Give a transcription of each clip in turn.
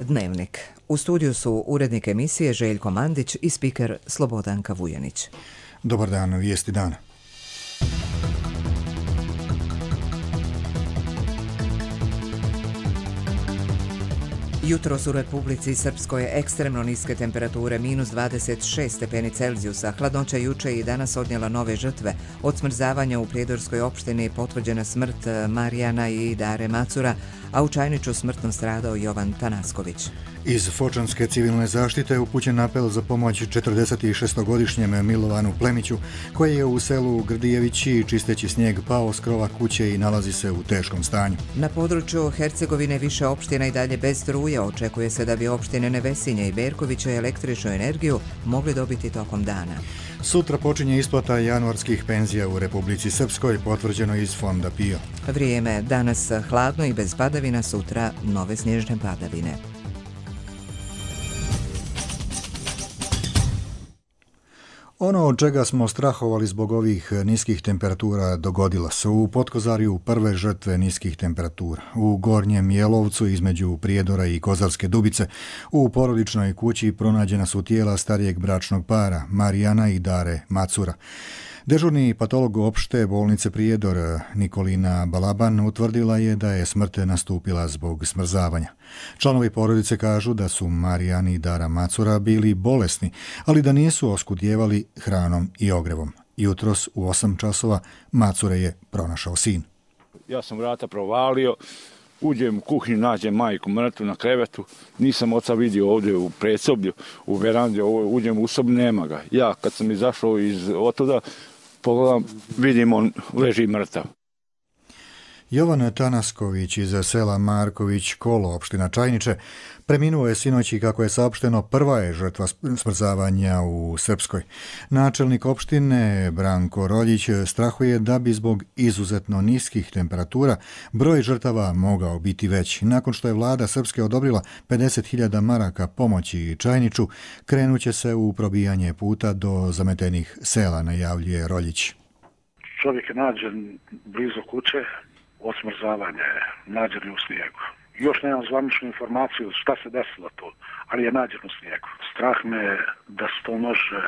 Dnevnik. U studiju su urednik emisije Željko Mandić i spiker Slobodanka Vujanić. Dobar dan, vijesti dana. Jutros u Republici Srpskoj ekstremno niske temperature, minus 26 stepeni Celzijusa. Hladnoća juče i danas odnijela nove žrtve. Od smrzavanja u Prijedorskoj opštini potvrđena smrt Marijana i Dare Macura, a u Čajniću smrtno stradao Jovan Tanasković. Iz Fočanske civilne zaštite upućen apel za pomoć 46-godišnjem Milovanu Plemiću, koji je u selu Grdijevići čisteći snijeg pao s krova kuće i nalazi se u teškom stanju. Na području Hercegovine više opština i dalje bez struje. Očekuje se da bi opštine Nevesinje i Berkovića električnu energiju mogli dobiti tokom dana. Sutra počinje isplata januarskih penzija u Republici Srpskoj, potvrđeno iz Fonda PIO. Vrijeme danas hladno i bez padavina, sutra nove snježne padavine. Ono od čega smo strahovali zbog ovih niskih temperatura dogodilo se u Potkozarju prve žrtve niskih temperatura, u Gornjem Jelovcu između Prijedora i Kozarske Dubice. U porodičnoj kući pronađena su tijela starijeg bračnog para, Marijana i Dare Macura. Dežurni patolog opšte bolnice Prijedor Nikolina Balaban utvrdila je da je smrt nastupila zbog smrzavanja. Članovi porodice kažu da su Marijan i Dara Macura bili bolesni, ali da nisu oskudjevali hranom i ogrevom. Jutros u 8 časova Macure je pronašao sin. Ja sam vrata provalio, uđem u kuhinju, nađem majku mrtvu na krevetu, nisam oca vidio ovdje u predsoblju, u verandi, uđem u sobu, nema ga. Ja kad sam izašao iz otuda, pogledam, vidim on leži mrtav. Jovan Tanasković iz sela Marković Kolo, opština Čajniče, preminuo je sinoć i kako je saopšteno prva je žrtva smrzavanja u Srpskoj. Načelnik opštine Branko Roljić strahuje da bi zbog izuzetno niskih temperatura broj žrtava mogao biti veći. Nakon što je vlada Srpske odobrila 50.000 maraka pomoći Čajniču, krenuće se u probijanje puta do zametenih sela, najavljuje Roljić. Čovjek je nađen blizu kuće, od smrzavanja je nađen u snijegu. Još nemam zvaničnu informaciju šta se desilo tu, ali je nađen u snijegu. Strah me je da se to može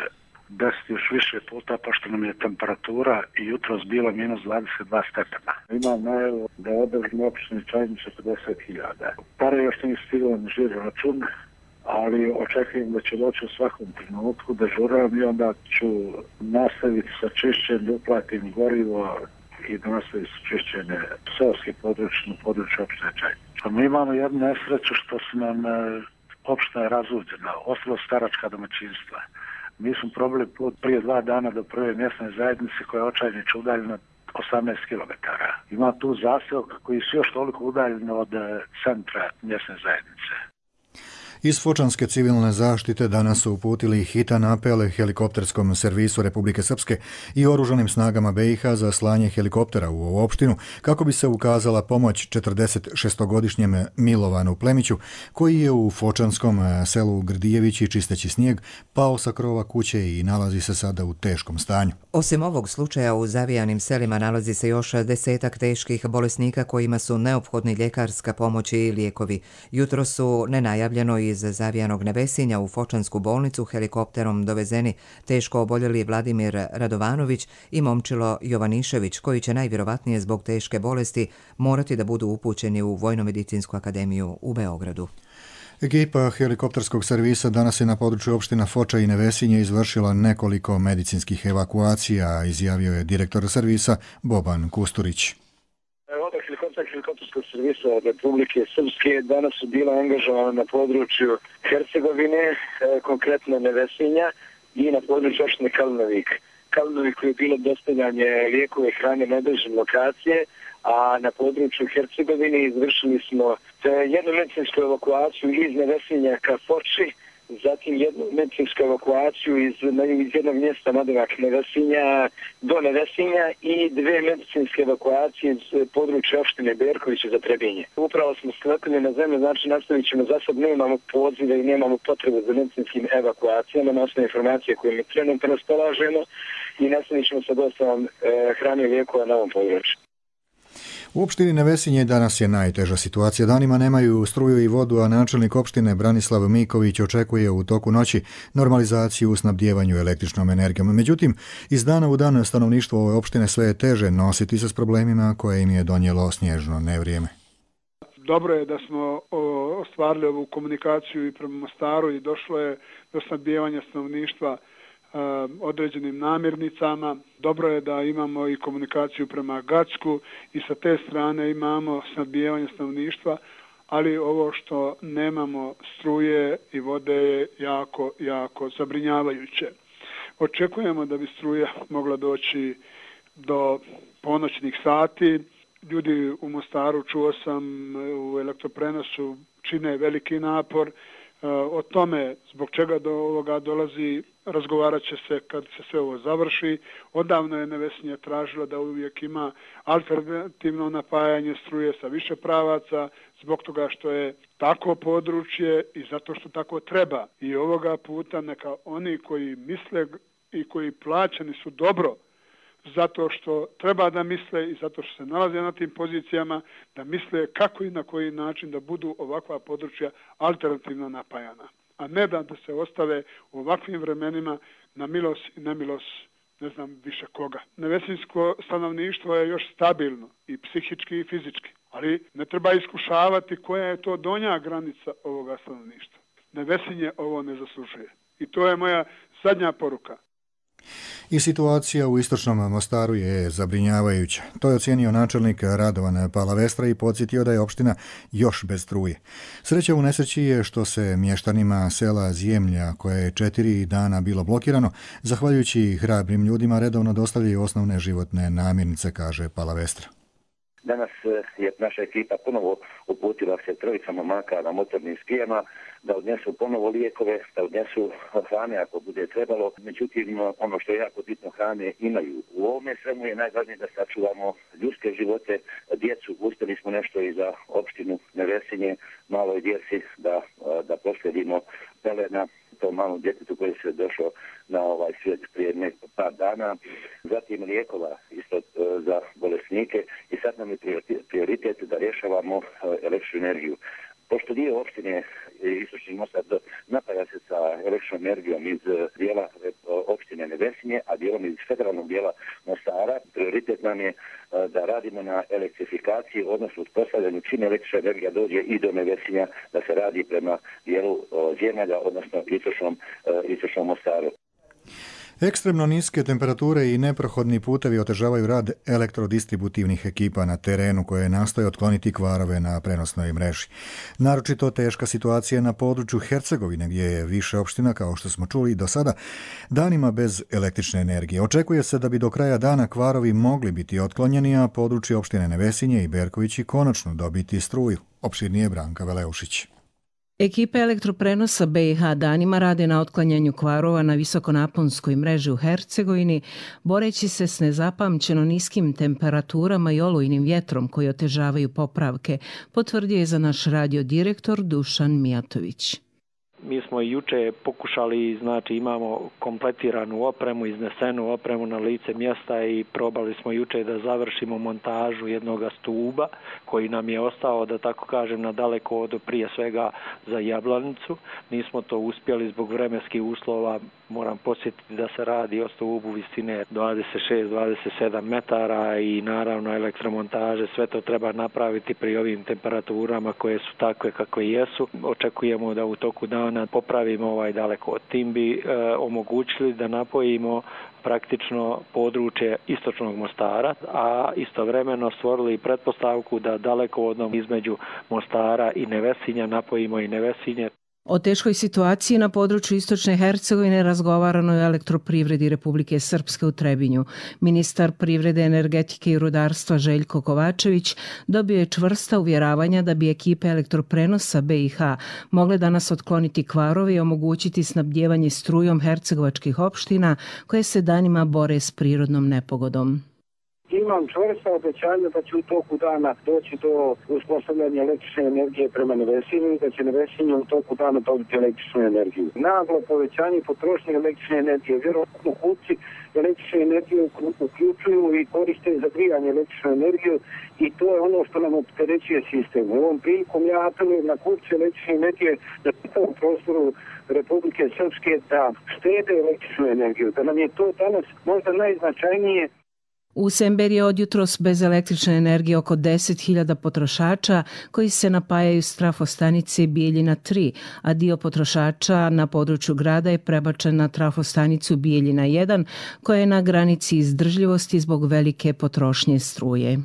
desiti još više puta, pošto nam je temperatura i jutros bila minus 22 stepena. Imam najavu da je održan opštini Čajniče 50.000. Pare još nije stiglo na žiro račun, ali očekujem da će doći u svakom trenutku, dežuram i onda ću nastaviti sa čišćenjem, uplatim gorivo i da nastavi sa čišćenje seoske područje opštine Čajniče. Mi imamo jednu nesreću što su nam opština je razuđena, ostalo staračka domaćinstva. Mi smo probali put prije 2 dana do prve mjesne zajednice koja je od Čajniča udaljena 18 km. Ima tu zaseoka koji su još toliko udaljeni od centra mjesne zajednice. Iz Fočanske civilne zaštite danas su uputili hitan apel helikopterskom servisu Republike Srpske i oružanim snagama BiH za slanje helikoptera u ovu opštinu kako bi se ukazala pomoć 46-godišnjem Milovanu Plemiću, koji je u Fočanskom selu Grdijevići čisteći snijeg pao sa krova kuće i nalazi se sada u teškom stanju. Osim ovog slučaja u zavijanim selima nalazi se još 10 teških bolesnika kojima su neophodni ljekarska pomoć i lijekovi. Jutro su nenajavljeno iz zavijanog Nevesinja u Fočansku bolnicu helikopterom dovezeni teško oboljeli Vladimir Radovanović i momčilo Jovanišević, koji će najvjerovatnije zbog teške bolesti morati da budu upućeni u Vojno-medicinsku akademiju u Beogradu. Ekipa helikopterskog servisa danas je na području opština Foča i Nevesinje izvršila nekoliko medicinskih evakuacija, izjavio je direktor servisa Boban Kusturić. Helikopterskog servisa Republike Srpske danas su bila angažovana na području Hercegovine, konkretno Nevesinja i na području opštine Kalnovik. Kalnovik je bilo dostavljanje lijekove i hrane na određene lokacije, a na području Hercegovine izvršili smo jednu medicinsku evakuaciju iz Nevesinja ka Foči, zatim jednu medicinsku evakuaciju iz jednog mjesta nadomak Nevesinja do Nevesinja i 2 medicinske evakuacije iz područja opštine Berkovića za Trebinje. Upravo smo sklepili na zemlju, znači nastavit ćemo, za sad nemamo pozive i nemamo potrebu za medicinskim evakuacijama na osnovu informacije koje mi trenutno raspolažemo i nastavit ćemo sa dostavom hrane i lijekova na ovom području. U opštini Nevesinje danas je najteža situacija. Danima nemaju struju i vodu, a načelnik opštine Branislav Miković očekuje u toku noći normalizaciju u snabdijevanju električnom energijom. Međutim, iz dana u dan stanovništvo ove opštine sve je teže nositi se s problemima koje im je donijelo snježno nevrijeme. Dobro je da smo ostvarili ovu komunikaciju i prema Mostaru i došlo je do snabdijevanja stanovništva određenim namirnicama. Dobro je da imamo i komunikaciju prema Gacku i sa te strane imamo snabdijevanje stanovništva, ali ovo što nemamo struje i vode je jako zabrinjavajuće. Očekujemo da bi struja mogla doći do ponoćnih sati. Ljudi u Mostaru, čuo sam, u elektroprenosu čine veliki napor. O tome zbog čega do ovoga dolazi razgovarat će se kad se sve ovo završi. Odavno je Nevesinje tražilo da uvijek ima alternativno napajanje struje sa više pravaca, zbog toga što je tako područje i zato što tako treba. I ovoga puta neka oni koji misle i koji plaćeni su dobro zato što treba da misle i zato što se nalaze na tim pozicijama, da misle kako i na koji način da budu ovakva područja alternativno napajana. A ne da se ostave u ovakvim vremenima na milost i nemilost ne znam više koga. Nevesinsko stanovništvo je još stabilno i psihički i fizički, ali ne treba iskušavati koja je to donja granica ovoga stanovništva. Nevesinje ovo ne zaslužuje. I to je moja zadnja poruka. I situacija u istočnom Mostaru je zabrinjavajuća. To je ocijenio načelnik Radovan Palavestra i podsjetio da je opština još bez struje. Sreća u nesreći je što se mještanima sela Zjemlja, koje je 4 dana bilo blokirano, zahvaljujući hrabrim ljudima redovno dostavljaju osnovne životne namirnice, kaže Palavestra. Danas je naša ekipa ponovo uputila se 3 momaka na motornim skijama da odnesu ponovo lijekove, da odnesu hrane ako bude trebalo. Međutim, ono što je jako bitno, hrane imaju. U ovome svemu je najvažnije da sačuvamo ljudske živote, djecu. Uspjeli smo nešto i za opštinu Nevesinje, maloj djeci da proslijedimo pelena tom malom djetetu koji se došao na ovaj svijet prije par dana. Zatim lijekova isto za bolesnike i sad nam je prioritet da rješavamo električnu energiju. Pošto dio opštine Istočni Mostar napaja se sa električnom energijom iz dijela opštine Nevesinje, a dijelom iz federalnog dijela Mostara, prioritet nam je da radimo na elektrifikaciji, odnosno uspostavljanju čim električna energija dođe i do Nevesinja, da se radi prema dijelu Zjemelja, odnosno istočnom Mostaru. Ekstremno niske temperature i neprohodni putevi otežavaju rad elektrodistributivnih ekipa na terenu koje nastoje otkloniti kvarove na prenosnoj mreži. Naročito teška situacija na području Hercegovine gdje je više opština, kao što smo čuli do sada, danima bez električne energije. Očekuje se da bi do kraja dana kvarovi mogli biti otklonjeni, a područje opštine Nevesinje i Berkovići konačno dobiti struju. Opširnije Branka Veleušić. Ekipe elektroprenosa BiH danima rade na otklanjanju kvarova na visokonaponskoj mreži u Hercegovini, boreći se s nezapamćeno niskim temperaturama i olujnim vjetrom koji otežavaju popravke, potvrdio je za naš radio direktor Dušan Mijatović. Mi smo i juče pokušali, znači imamo kompletiranu opremu, iznesenu opremu na lice mjesta i probali smo juče da završimo montažu jednog stuba koji nam je ostao, da tako kažem, na dalekovodu, prije svega za Jablanicu. Nismo to uspjeli zbog vremenskih uslova. Moram podsjetiti da se radi o stubu visine 26-27 metara i naravno elektromontaže. Sve to treba napraviti pri ovim temperaturama koje su takve kakve jesu. Očekujemo da u toku dana popravimo ovaj dalekovod. Tim bi omogućili da napojimo praktično područje istočnog Mostara, a istovremeno stvorili pretpostavku da dalekovodom između Mostara i Nevesinja napojimo i Nevesinje. O teškoj situaciji na području istočne Hercegovine razgovarano je o elektroprivredi Republike Srpske u Trebinju. Ministar privrede, energetike i rudarstva Željko Kovačević dobio je čvrsta uvjeravanja da bi ekipe elektroprenosa BiH mogle danas otkloniti kvarove i omogućiti snabdijevanje strujom hercegovačkih opština koje se danima bore s prirodnom nepogodom. imam čvrsta obećanja da će u toku dana doći do uspostavljanja električne energije prema Nevesinju i da će Nevesinje u toku dana dobiti električnu energiju. Naglo povećanje potrošnje električne energije. Vjerojatno kupci električne energije uključuju i koriste za grijanje električnu energiju i to je ono što nam opterećuje sistem. U ovom prilikom ja apelujem na kupce električne energije na čitavom prostoru Republike Srpske da štede električnu energiju, da nam je to danas možda najznačajnije. U Semberi je odjutros bez električne energije oko 10.000 potrošača koji se napajaju s trafostanice Bijeljina 3, a dio potrošača na području grada je prebačen na trafostanicu Bijeljina 1, koja je na granici izdržljivosti zbog velike potrošnje struje.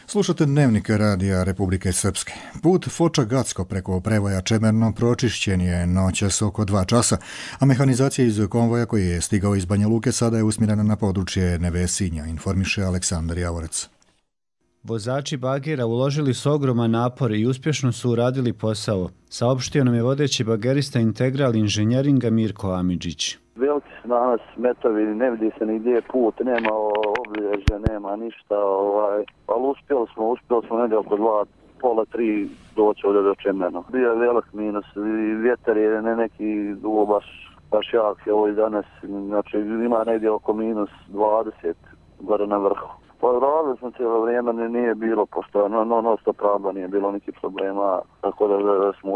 Slušate Dnevnik radija Republike Srpske. Put Foča-Gacko preko prevoja Čemerno pročišćen je noćas oko 2 časa, a mehanizacija iz konvoja koji je stigao iz Banja Luke sada je usmjerena na područje Nevesinja, informiše Aleksandar Javorec. Vozači bagera uložili su ogroman napor i uspješno su uradili posao, saopštio nam je vodeći bagerista Integral inženjeringa Mirko Amidžić. Veliki su danas smetovi, ne vidi se nigdje put, nema obilježja, nema ništa, ali uspjeli smo negdje oko 2, pola 3 doći ovdje do Čemerno. Bio je velik minus, vjetar je neki dugo baš jak je ovo danas, znači ima negdje oko minus 20 gore na vrhu. Pa radili smo cijelo vrijeme, nije bilo pošto non stop rada, nije bilo nikih problema, tako da smo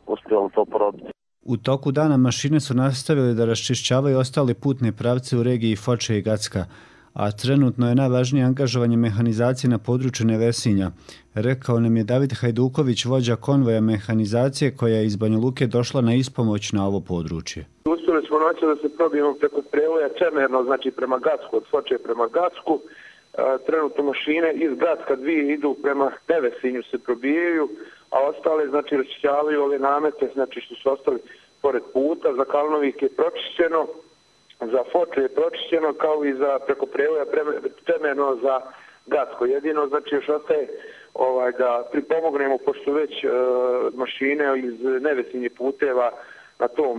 uspjeli to probiti. U toku dana mašine su nastavili da raščišćavaju ostale putne pravce u regiji Foče i Gacka, a trenutno je najvažnije angažovanje mehanizacije na području Nevesinja, rekao nam je David Hajduković, vođa konvoja mehanizacije koja je iz Banja Luke došla na ispomoć na ovo područje. Uspjeli smo noći da se probijemo preko prevoja Čemerno, znači prema Gacku, od Foče prema Gacku. Trenutno mašine iz Gacka 2 idu prema Nevesinju se probijaju, a ostale znači raščišćavaju ove namete, znači što su ostali pored puta. Za Kalnovik je pročišćeno, za Foče je pročišćeno, kao i za preko prevoja Čemerno za Gacko. Jedino znači još ostaje da pripomognemo, pošto već mašine iz Nevesinje puteva na tom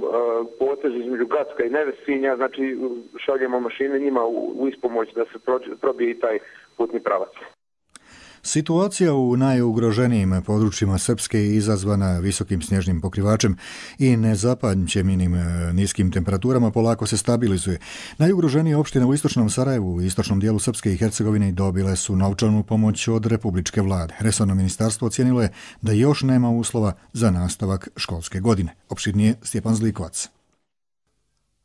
potezu između Gacka i Nevesinja, znači šaljemo mašine njima u ispomoć da se probije i taj putni pravac. Situacija u najugroženijim područjima Srpske je izazvana visokim snježnim pokrivačem i nezapamćenim niskim temperaturama polako se stabilizuje. Najugroženije opštine u istočnom Sarajevu i istočnom dijelu Srpske i Hercegovine dobile su novčanu pomoć od republičke vlade. Resorno ministarstvo ocijenilo je da još nema uslova za nastavak školske godine. Opširnije Stjepan Zlikovac.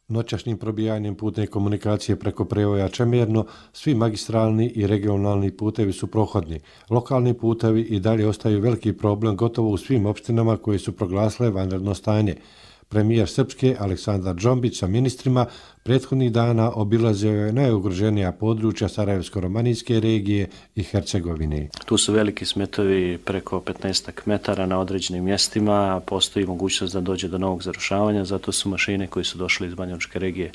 Noćašnjim probijanjem putne komunikacije preko prevoja Čemerno, svi magistralni i regionalni putevi su prohodni. Lokalni putevi i dalje ostaju veliki problem gotovo u svim opštinama koje su proglasile vanredno stanje. Premijer Srpske Aleksandar Džombić sa ministrima prethodnih dana obilazio je najugroženija područja Sarajevsko-romanijske regije i Hercegovine. Tu su veliki smetovi preko 15 metara na određenim mjestima, postoji mogućnost da dođe do novog zarušavanja, zato su mašine koje su došle iz Banjalučke regije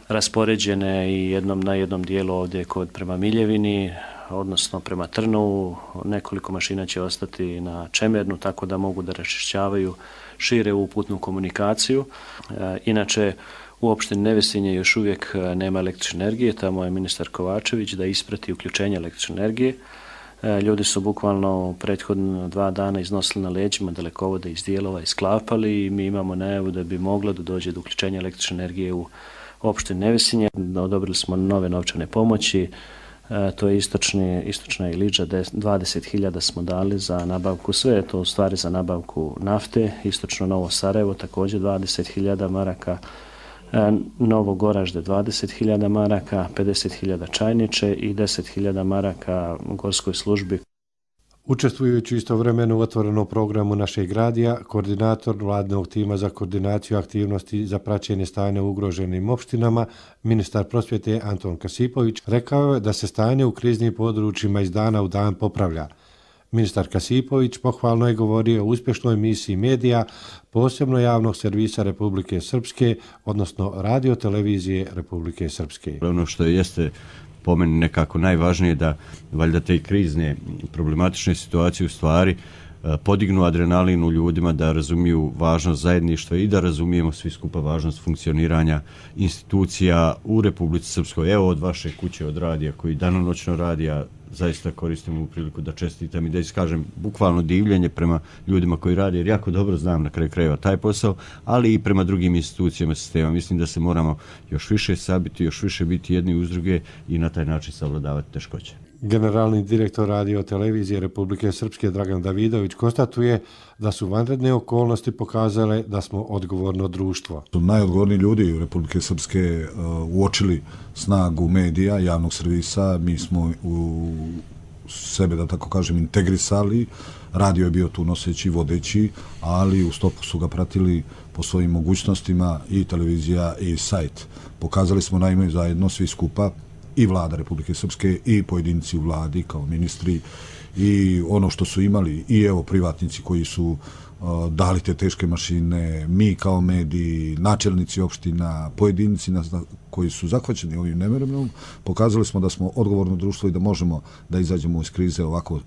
raspoređene i na jednom dijelu ovdje prema Miljevini, odnosno prema Trnovu. Nekoliko mašina će ostati na Čemernu, tako da mogu da raščišćavaju šire u putnu komunikaciju. Inače, u opštini Nevesinje još uvijek nema električne energije, tamo je ministar Kovačević da isprati uključenje električne energije. Ljudi su bukvalno prethodno 2 dana iznosili na leđima dalekovode iz dijelova i sklapali i mi imamo najavu da bi moglo da dođe do uključenja električne energije u opštini Nevesinje. Odobrili smo nove novčane pomoći, to je istočna Iliđa, 20.000 smo dali za nabavku, sve je to u stvari za nabavku nafte, istočno Novo Sarajevo također 20.000 maraka, Novo Goražde 20.000 maraka, 50.000 Čajniče i 10.000 maraka gorskoj službi. Učestvujući istovremeno u otvorenom programu našeg radija, koordinator vladnog tima za koordinaciju aktivnosti za praćenje stanja u ugroženim opštinama, ministar prosvjete Anton Kasipović, rekao je da se stanje u kriznim područjima iz dana u dan popravlja. Ministar Kasipović pohvalno je govorio o uspješnoj misiji medija, posebno javnog servisa Republike Srpske, odnosno radio-televizije Republike Srpske. Ono što jeste po meni nekako najvažnije da valjda te krizne problematične situacije u stvari podignu adrenalin u ljudima, da razumiju važnost zajedništva i da razumijemo svi skupa važnost funkcioniranja institucija u Republici Srpskoj. Evo od vaše kuće, od radija koji danonoćno radi, ja zaista koristim ovu priliku da čestitam i da iskažem bukvalno divljenje prema ljudima koji rade, jer jako dobro znam na kraju krajeva taj posao, ali i prema drugim institucijama sistema. Mislim da se moramo još više sabiti, još više biti jedni uz druge i na taj način savladavati teškoće. Generalni direktor radio televizije Republike Srpske Dragan Davidović konstatuje da su vanredne okolnosti pokazale da smo odgovorno društvo. Najodgovorniji ljudi u Republike Srpske uočili snagu medija, javnog servisa, mi smo u sebe, da tako kažem, integrisali, radio je bio tu noseći, vodeći, ali u stopu su ga pratili po svojim mogućnostima i televizija i sajt. Pokazali smo naime zajedno svi skupa, i vlada Republike Srpske i pojedinci u vladi kao ministri i ono što su imali i evo privatnici koji su dali te teške mašine, mi kao mediji, načelnici opština, pojedinci koji su zahvaćeni ovim nemerenom, pokazali smo da smo odgovorno društvo i da možemo da izađemo iz krize ovako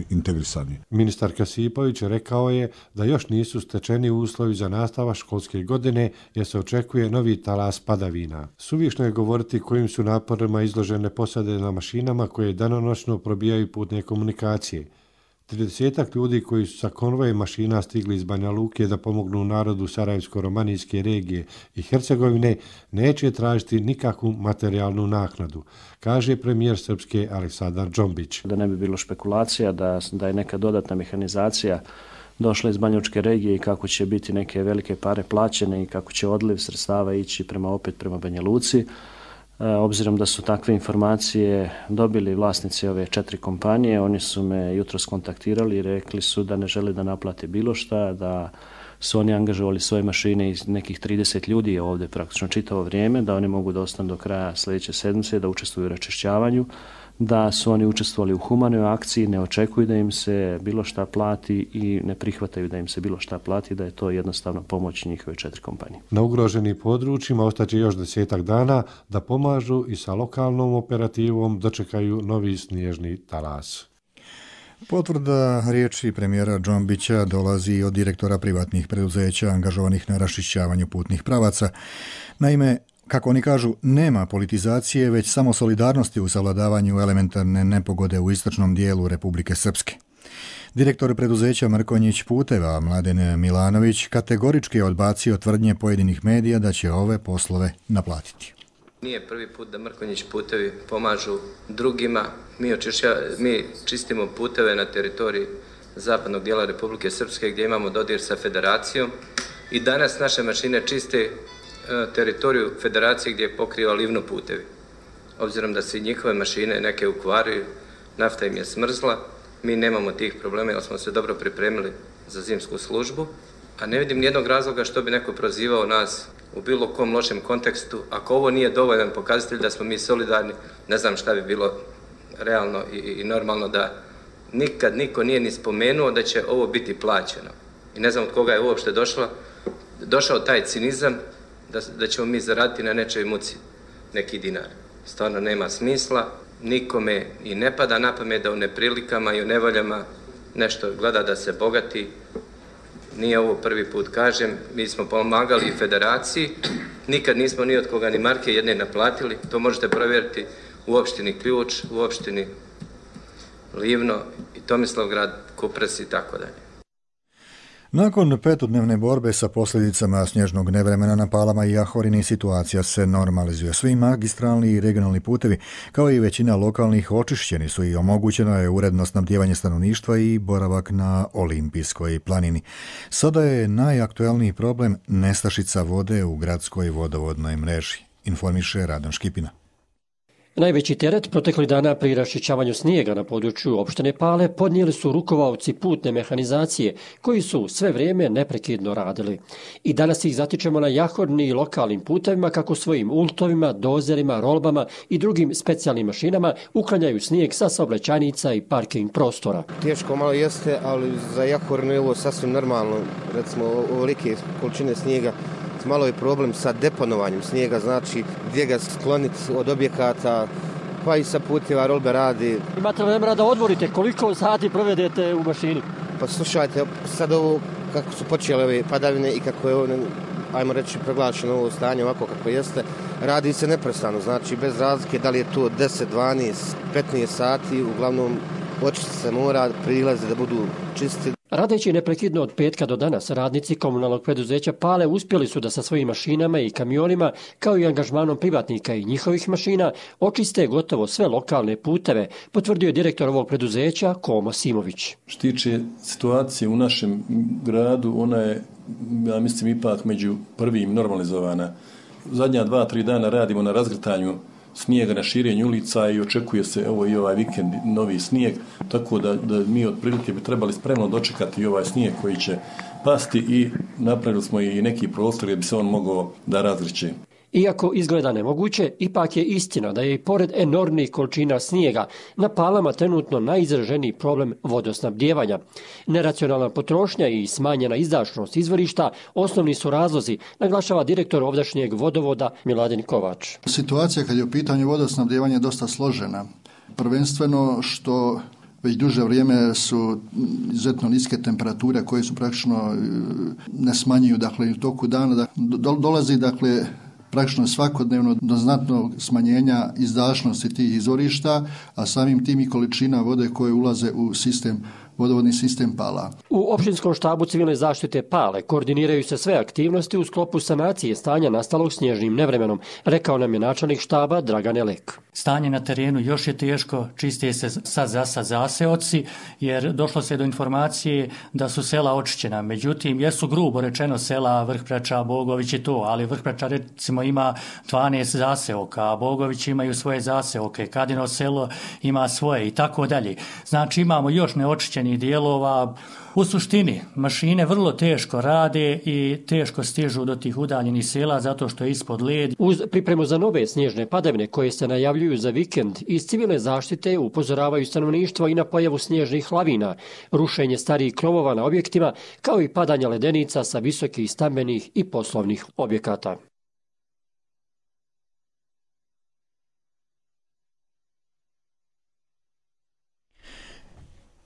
integrisani. Ministar Kasipović rekao je da još nisu stečeni uslovi za nastavak školske godine jer se očekuje novi talas padavina. Suvišno je govoriti kojim su naporima izložene posade na mašinama koje danonoćno probijaju putne komunikacije. 30 ljudi koji su sa konvojem mašina stigli iz Banja Luke da pomognu narodu Sarajevsko-romanijske regije i Hercegovine neće tražiti nikakvu materijalnu naknadu, kaže premijer Srpske Aleksandar Džombić. Da ne bi bilo špekulacija da je neka dodatna mehanizacija došla iz Banjalučke regije i kako će biti neke velike pare plaćene i kako će odliv sredstava ići prema Banja Luci. Obzirom da su takve informacije dobili vlasnici ove 4 kompanije, oni su me jutros kontaktirali i rekli su da ne žele da naplate bilo šta, da su oni angažovali svoje mašine iz nekih 30 ljudi ovdje praktično čitavo vrijeme, da oni mogu da ostanu do kraja sljedeće sedmice, da učestvuju u raščišćavanju, da su oni učestvovali u humanoj akciji, ne očekuju da im se bilo šta plati i ne prihvataju da im se bilo šta plati, da je to jednostavno pomoć njihove 4 kompanije. Na ugroženim područjima ostaće još 10 dana da pomažu i sa lokalnom operativom dočekaju novi snježni talas. Potvrda riječi premijera Džombića dolazi od direktora privatnih preduzeća angažovanih na raščišćavanju putnih pravaca. Naime, kako oni kažu, nema politizacije, već samo solidarnosti u savladavanju elementarne nepogode u istočnom dijelu Republike Srpske. Direktor preduzeća Mrkonjić puteva Mladen Milanović kategorički je odbacio tvrdnje pojedinih medija da će ove poslove naplatiti. Nije prvi put da Mrkonjić putevi pomažu drugima. Mi čistimo puteve na teritoriji zapadnog dijela Republike Srpske gdje imamo dodir sa federacijom i danas naše mašine čiste teritoriju federacije gdje pokriva livno putevi. Obzirom da se njihove mašine neke ukvaraju, nafta im je smrzla, mi nemamo tih problema jer smo se dobro pripremili za zimsku službu, a ne vidim nijednog razloga što bi neko prozivao nas u bilo kom lošem kontekstu. Ako ovo nije dovoljan pokazatelj da smo mi solidarni, ne znam šta bi bilo realno i normalno da nikad niko nije ni spomenuo da će ovo biti plaćeno. I ne znam od koga je uopšte došao taj cinizam da ćemo mi zaraditi na nečoj muci neki dinar. Stvarno nema smisla, nikome i ne pada na pamet da u neprilikama i u nevoljama nešto gleda da se bogati. Nije ovo prvi put, kažem, mi smo pomagali i federaciji, nikad nismo ni od koga ni marke jedne naplatili, to možete provjeriti u opštini Ključ, u opštini Livno i Tomislavgrad, Kupres i tako dalje. Nakon 5-dnevne borbe sa posljedicama snježnog nevremena na Palama i Jahorini situacija se normalizuje. Svi magistralni i regionalni putevi, kao i većina lokalnih, očišćeni su i omogućeno je uredno snabdijevanje stanovništva i boravak na Olimpijskoj planini. Sada je najaktuelniji problem nestašica vode u gradskoj vodovodnoj mreži, informiše Radan Škipina. Najveći teret proteklih dana pri raščišćavanju snijega na području opštine Pale podnijeli su rukovaoci putne mehanizacije koji su sve vrijeme neprekidno radili. I danas ih zatičemo na Jahorini i lokalnim putevima kako svojim ultovima, dozerima, rolbama i drugim specijalnim mašinama uklanjaju snijeg sa saobraćajnica i parking prostora. Teško malo jeste, ali za Jahorinu je ovo sasvim normalno. Recimo, ovolike količine snijega. Malo je problem sa deponovanjem snijega, znači gdje ga skloniti od objekata, pa i sa puteva rolbe radi. Imate li vremena da odvorite? Koliko sati provedete u mašini? Pa slušajte, sad ovo kako su počele ove padavine i kako je ovo, ajmo reći, proglašeno ovo stanje ovako kako jeste, radi se neprestano, znači bez razlike da li je to 10, 12, 15 sati, uglavnom očistiti se mora, prilaze da budu čisti. Radeći neprekidno od petka do danas, radnici komunalnog preduzeća Pale uspjeli su da sa svojim mašinama i kamionima, kao i angažmanom privatnika i njihovih mašina, očiste gotovo sve lokalne puteve, potvrdio je direktor ovog preduzeća Komo Simović. Što tiče situacije u našem gradu, ona je, ja mislim, ipak među prvim normalizovana. Zadnja 2-3 dana radimo na razgrtanju snijega, na širenju ulica i očekuje se evo i ovaj vikend novi snijeg, tako da mi otprilike bi trebali spremno dočekati ovaj snijeg koji će pasti i napravili smo i neki prostor gdje bi se on mogao da razgriće. Iako izgleda nemoguće, ipak je istina da je i pored enormnih količina snijega na Palama trenutno najizraženiji problem vodosnabdijevanja. Neracionalna potrošnja i smanjena izdašnost izvorišta osnovni su razlozi, naglašava direktor ovdašnjeg vodovoda Miladin Kovač. Situacija kad je u pitanju vodosnabdijevanja je dosta složena. Prvenstveno što već duže vrijeme su izuzetno niske temperature koje su praktično ne smanjuju, dakle, u toku dana. Dolazi, dakle, praktično svakodnevno do znatnog smanjenja izdašnosti tih izvorišta, a samim tim i količina vode koje ulaze u vodovodni sistem Pala. U opštinskom štabu civilne zaštite Pale koordiniraju se sve aktivnosti u sklopu sanacije stanja nastalog snježnim nevremenom, rekao nam je načelnik štaba Dragan Elek. Stanje na terenu još je teško, čiste se sad zaseoci, jer došlo se do informacije da su sela očišćena. Međutim, jesu grubo rečeno sela Vrhpreča, Bogović i to, ali Vrhpreča recimo ima 12 zaseoka, a Bogović imaju svoje zaseoke, Kadino selo ima svoje i tako dalje. Znači imamo još neočišćenih dijelova. U suštini, mašine vrlo teško rade i teško stižu do tih udaljenih sela zato što je ispod led. Uz pripremu za nove snježne padavine koje se najavljuju za vikend, iz civilne zaštite upozoravaju stanovništvo i na pojavu snježnih lavina, rušenje starijih krovova na objektima, kao i padanja ledenica sa visokih stambenih i poslovnih objekata.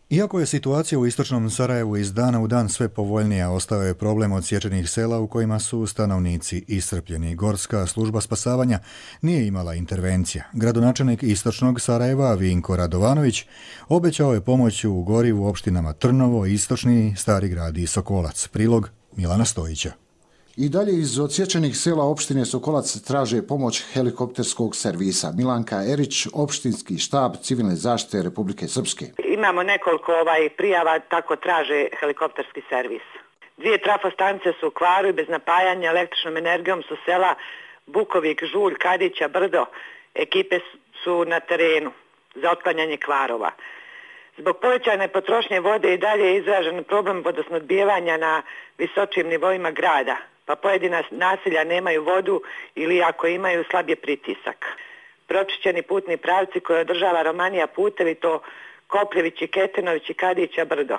Iako je situacija u istočnom Sarajevu iz dana u dan sve povoljnija, ostao je problem odsječenih sela u kojima su stanovnici iscrpljeni. Gorska služba spasavanja nije imala intervencija. Gradonačelnik istočnog Sarajeva Vinko Radovanović obećao je pomoć u gorivu opštinama Trnovo, Istočni, Stari grad i Sokolac. Prilog Milana Stojića. I dalje iz odsječenih sela opštine Sokolac traže pomoć helikopterskog servisa. Milanka Erić, opštinski štab civilne zaštite Republike Srpske. Imamo nekoliko prijava, tako traže helikopterski servis. 2 trafostanice su u kvaru i bez napajanja električnom energijom su sela Bukovik, Žulj, Kadića, Brdo. Ekipe su na terenu za otklanjanje kvarova. Zbog povećane potrošnje vode i dalje je izražen problem vodosnabdijevanja na visočim nivoima grada, pa pojedina naselja nemaju vodu ili ako imaju slab je pritisak. Pročišćeni putni pravci koje održava Romanija putevi, to Kopljević i Ketinović i Kadića Brdo.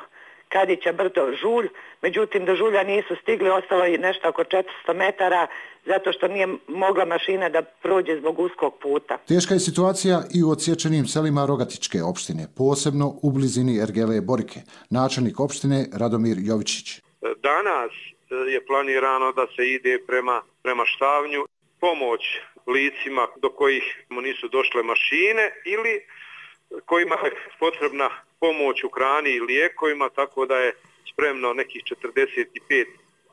Kadića Brdo, Žulj, međutim do Žulja nisu stigli, ostalo je nešto oko 400 metara zato što nije mogla mašina da prođe zbog uskog puta. Teška je situacija i u odsječenim selima Rogatičke opštine, posebno u blizini Ergele Borike. Načelnik opštine Radomir Jovičić. Danas je planirano da se ide prema Štavnju, pomoć licima do kojih nisu došle mašine ili kojima je potrebna pomoć u hrani i lijekovima, tako da je spremno nekih 45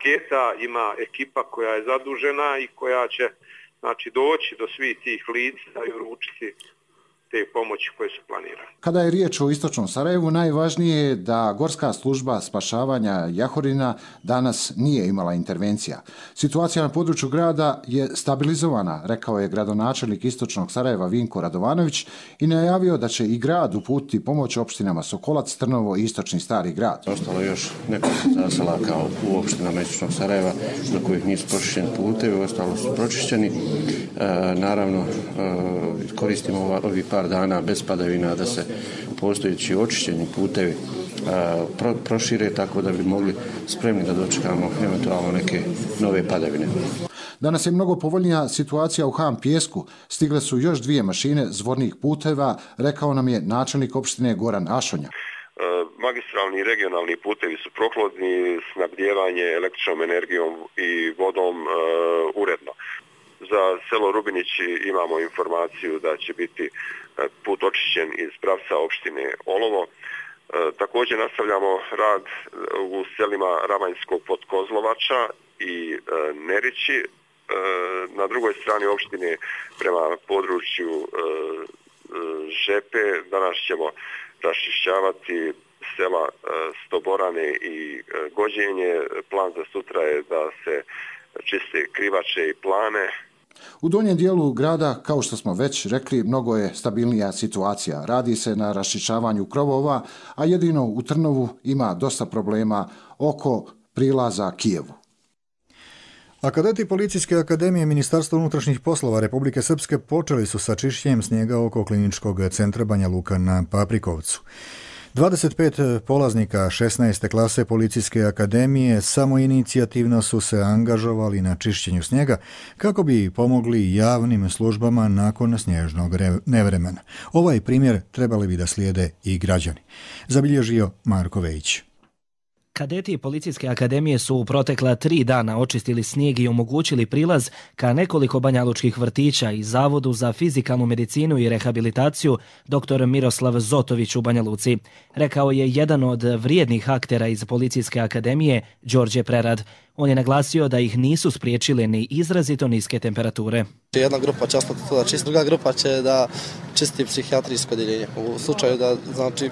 keta, ima ekipa koja je zadužena i koja će doći do svih tih lica i uručiti te pomoći koje su planirane. Kada je riječ o istočnom Sarajevu, najvažnije je da Gorska služba spašavanja Jahorina danas nije imala intervencija. Situacija na području grada je stabilizovana, rekao je gradonačelnik istočnog Sarajeva Vinko Radovanović i najavio da će i grad uputiti pomoć opštinama Sokolac, Trnovo i Istočni Stari grad. Ostalo je još nekoliko zaselaka u opštinama istočnog Sarajeva do kojih nisu pročišćeni putevi, ostalo su pročišćeni. Naravno, koristimo ovih par dana bez padavina da se postojeći očišćeni putevi prošire tako da bi mogli spremni da dočekamo eventualno neke nove padavine. Danas je mnogo povoljnija situacija u Han Pijesku. Stigle su još 2 mašine zvornih puteva, rekao nam je načelnik opštine Goran Ašonja. Magistralni i regionalni putevi su prohodni, snabdijevanje električnom energijom i vodom uredno. Za selo Rubinići imamo informaciju da će biti put očišćen iz pravca opštine Olovo. Također nastavljamo rad u selima Ravanjskog Podkozlovača i Nerići. Na drugoj strani opštine prema području Žepe danas ćemo raščišćavati sela Stoborane i Gođenje. Plan za sutra je da se čiste Krivače i Plane. U donjem dijelu grada, kao što smo već rekli, mnogo je stabilnija situacija. Radi se na raščišćavanju krovova, a jedino u Trnovu ima dosta problema oko prilaza Kijevu. A kadeti Policijske akademije Ministarstva unutrašnjih poslova Republike Srpske počeli su sa čišćenjem snijega oko kliničkog centra Banja Luka na Paprikovcu. 25 polaznika 16. klase Policijske akademije samoinicijativno su se angažovali na čišćenju snijega kako bi pomogli javnim službama nakon snježnog nevremena. Ovaj primjer trebali bi da slijede i građani, zabilježio Marko Vejić. Kadeti Policijske akademije su u protekla 3 dana očistili snijeg i omogućili prilaz ka nekoliko banjalučkih vrtića i Zavodu za fizikalnu medicinu i rehabilitaciju dr. Miroslav Zotović u Banja Luci. Rekao je jedan od vrijednih aktera iz Policijske akademije, Đorđe Prerad. On je naglasio da ih nisu spriječile ni izrazito niske temperature. Jedna grupa će ostati to da čisti, druga grupa će da čisti psihijatrijsko odjeljenje. U slučaju da, znači,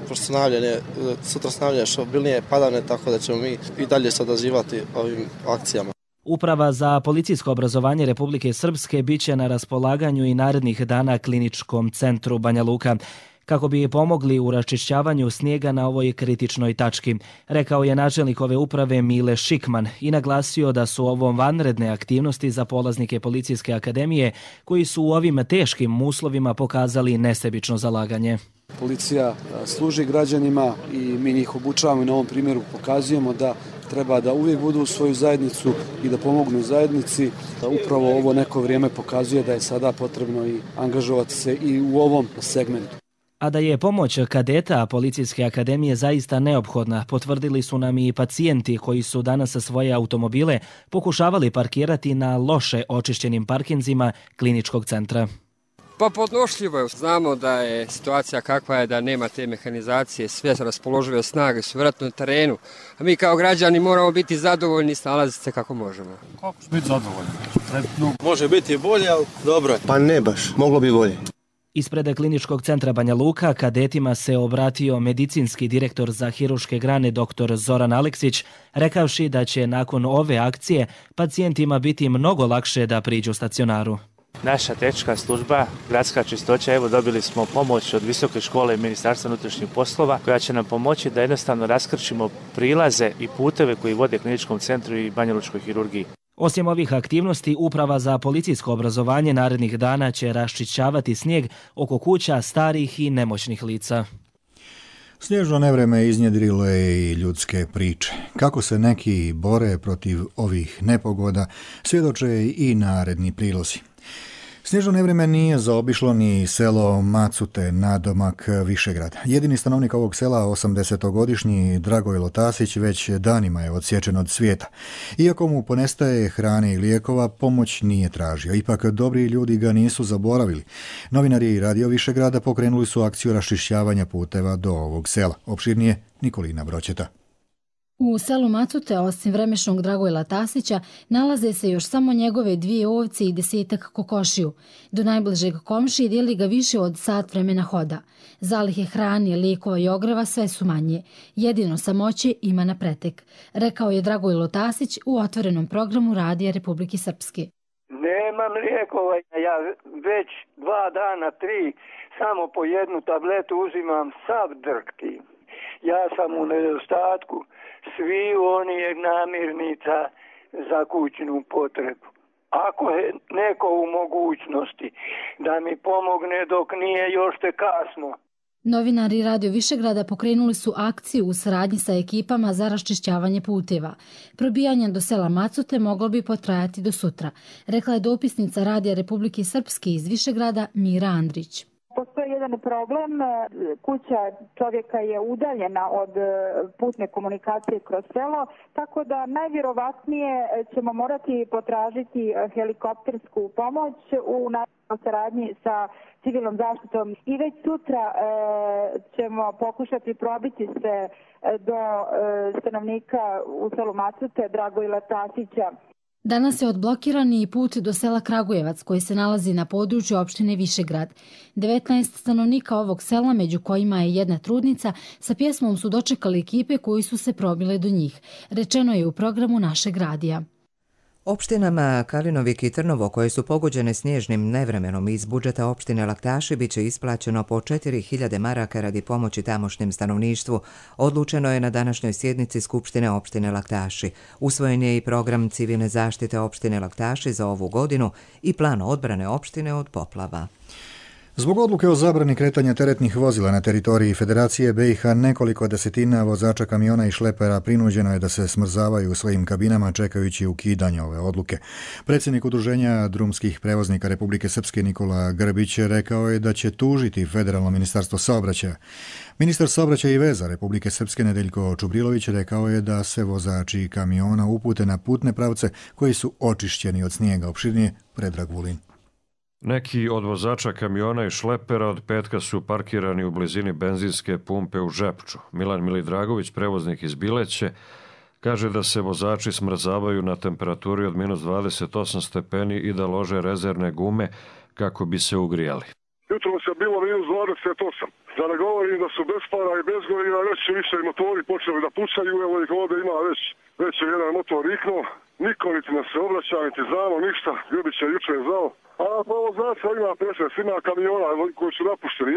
sutra snavljanje što obilnije padavne, tako da ćemo mi i dalje se odazivati ovim akcijama. Uprava za policijsko obrazovanje Republike Srpske bit će na raspolaganju i narednih dana kliničkom centru Banja Luka, kako bi pomogli u raščišćavanju snijega na ovoj kritičnoj tački, rekao je načelnik ove uprave Mile Šikman i naglasio da su ovo vanredne aktivnosti za polaznike Policijske akademije koji su u ovim teškim uslovima pokazali nesebično zalaganje. Policija služi građanima i mi njih obučavamo i na ovom primjeru pokazujemo da treba da uvijek budu u svoju zajednicu i da pomognu zajednici. Upravo ovo neko vrijeme pokazuje da je sada potrebno i angažovati se i u ovom segmentu. A da je pomoć kadeta Policijske akademije zaista neophodna, potvrdili su nam i pacijenti koji su danas svoje automobile pokušavali parkirati na loše očišćenim parkinzima kliničkog centra. Pa podnošljivo je. Znamo da je situacija kakva je, da nema te mehanizacije, sve raspoložive snage su vjerojatno na terenu. A mi kao građani moramo biti zadovoljni i snalaziti se kako možemo. Kako će biti zadovoljni? Može biti bolje, ali dobro je. Pa ne baš, moglo bi bolje. Ispred kliničkog centra Banja Luka kadetima se obratio medicinski direktor za hiruške grane dr. Zoran Aleksić, rekavši da će nakon ove akcije pacijentima biti mnogo lakše da priđu stacionaru. Naša tehnička služba, gradska čistoća, evo dobili smo pomoć od Visoke škole Ministarstva unutrašnjih poslova koja će nam pomoći da jednostavno raskrčimo prilaze i puteve koji vode kliničkom centru i banjalučkoj hirurgiji. Osim ovih aktivnosti, Uprava za policijsko obrazovanje narednih dana će raščišćavati snijeg oko kuća starih i nemoćnih lica. Snježno nevreme iznjedrilo je i ljudske priče. Kako se neki bore protiv ovih nepogoda, svjedoče i naredni prilozi. Snježno nevreme nije zaobišlo ni selo Macute, nadomak Višegrada. Jedini stanovnik ovog sela, 80-godišnji Dragojlo Tasić, već danima je odsječen od svijeta. Iako mu ponestaje hrane i lijekova, pomoć nije tražio. Ipak dobri ljudi ga nisu zaboravili. Novinari Radio Višegrada pokrenuli su akciju raščišćavanja puteva do ovog sela. Opširnije Nikolina Broćeta. U selu Macute, osim vremešnog Dragojla Tasića, nalaze se još samo njegove 2 ovce i 10-ak kokošiju. Do najbližeg komšije dijeli ga više od sat vremena hoda. Zalihe hrane, lijekova i ogreva sve su manje. Jedino samoće ima na pretek, rekao je Dragojlo Tasić u otvorenom programu Radija Republike Srpske. Nemam lijekova, ja već 2 dana, 3, samo po 1 tabletu uzimam sav drkti. Ja sam u nedostatku svi onih namirnica za kućnu potrebu. Ako je neko u mogućnosti da mi pomogne dok nije još te kasno. Novinari Radio Višegrada pokrenuli su akciju u saradnji sa ekipama za raščišćavanje puteva. Probijanje do sela Macute moglo bi potrajati do sutra, rekla je dopisnica Radija Republike Srpske iz Višegrada Mira Andrić. Postoji jedan problem, kuća čovjeka je udaljena od putne komunikacije kroz selo, tako da najvjerovatnije ćemo morati potražiti helikoptersku pomoć u saradnji sa civilnom zaštitom i već sutra ćemo pokušati probiti se do stanovnika u selu Macute, Dragojila Tasića. Danas je odblokiran i put do sela Kragujevac koji se nalazi na području opštine Višegrad. 19 stanovnika ovog sela, među kojima je jedna trudnica, sa pjesmom su dočekali ekipe koji su se probile do njih. Rečeno je u programu našeg radija. Opštinama Kalinovik i Trnovo, koje su pogođene snježnim nevremenom, iz budžeta opštine Laktaši biće isplaćeno po 4.000 maraka radi pomoći tamošnjem stanovništvu. Odlučeno je na današnjoj sjednici Skupštine opštine Laktaši. Usvojen je i program civilne zaštite opštine Laktaši za ovu godinu i plan odbrane opštine od poplava. Zbog odluke o zabrani kretanja teretnih vozila na teritoriji Federacije BiH, nekoliko desetina vozača kamiona i šlepera prinuđeno je da se smrzavaju u svojim kabinama čekajući ukidanje ove odluke. Predsjednik Udruženja drumskih prevoznika Republike Srpske Nikola Grbić rekao je da će tužiti Federalno ministarstvo saobraćaja. Ministar saobraćaja i veza Republike Srpske Nedeljko Čubrilović rekao je da se vozači kamiona upute na putne pravce koji su očišćeni od snijega. Opširnije Predrag Vulin. Neki od vozača kamiona i šlepera od petka su parkirani u blizini benzinske pumpe u Žepču. Milan Milidragović, prevoznik iz Bileće, kaže da se vozači smrzavaju na temperaturi od minus 28 stepeni i da lože rezervne gume kako bi se ugrijali. Jutro se bilo minus 28. Da ne govorim da su bez para i bez goriva, već su više motori počeli da pucaju, evo ih ovdje ima već je jedan motor riknuo. Niko niti nas se obraća, niti znamo ništa, Grbić je jučer znao. A pa vozača ima 15, ima kamiona koji su napušteni,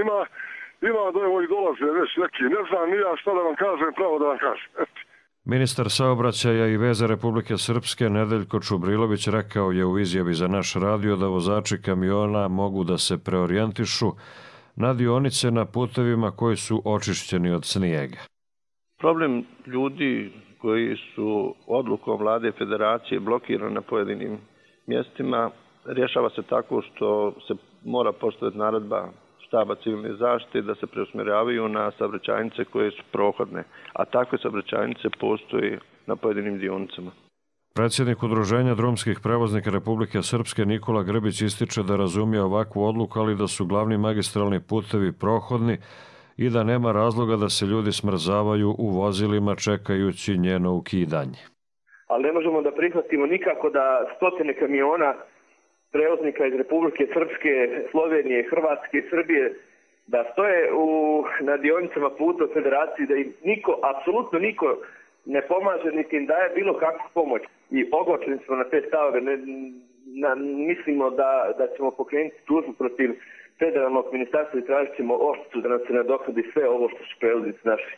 ima da evo i dolaze već neki, ne znam ni ja šta da vam kažem, pravo da vam kažem. Ministar saobraćaja i veza Republike Srpske Nedeljko Čubrilović rekao je u izjavi za naš radio da vozači kamiona mogu da se preorijentišu na dionice na putevima koji su očišćeni od snijega. Problem ljudi koji su odlukom vlade federacije blokirani na pojedinim mjestima rješava se tako što se mora postaviti naredba štaba civilne zaštite da se preusmjeravaju na saobraćajnice koje su prohodne, a takve saobraćajnice postoje na pojedinim dionicama. Predsjednik Udruženja drumskih prevoznika Republike Srpske Nikola Grbić ističe da razumije ovakvu odluku, ali da su glavni magistralni putevi prohodni i da nema razloga da se ljudi smrzavaju u vozilima čekajući njeno ukidanje. Ali ne možemo da prihvatimo nikako da stotine kamiona prevoznika iz Republike Srpske, Slovenije, Hrvatske i Srbije da stoje na dionicama puta u Federaciji, da im niko, apsolutno niko ne pomaže niti im daje bilo kakvu pomoć. I ogorčeni smo na te stavove. Mislimo da ćemo pokrenuti tužbu protiv federalnog ministarstva i tražit ćemo odštetu da nam se nadoknadi sve ovo što su prevoznici naši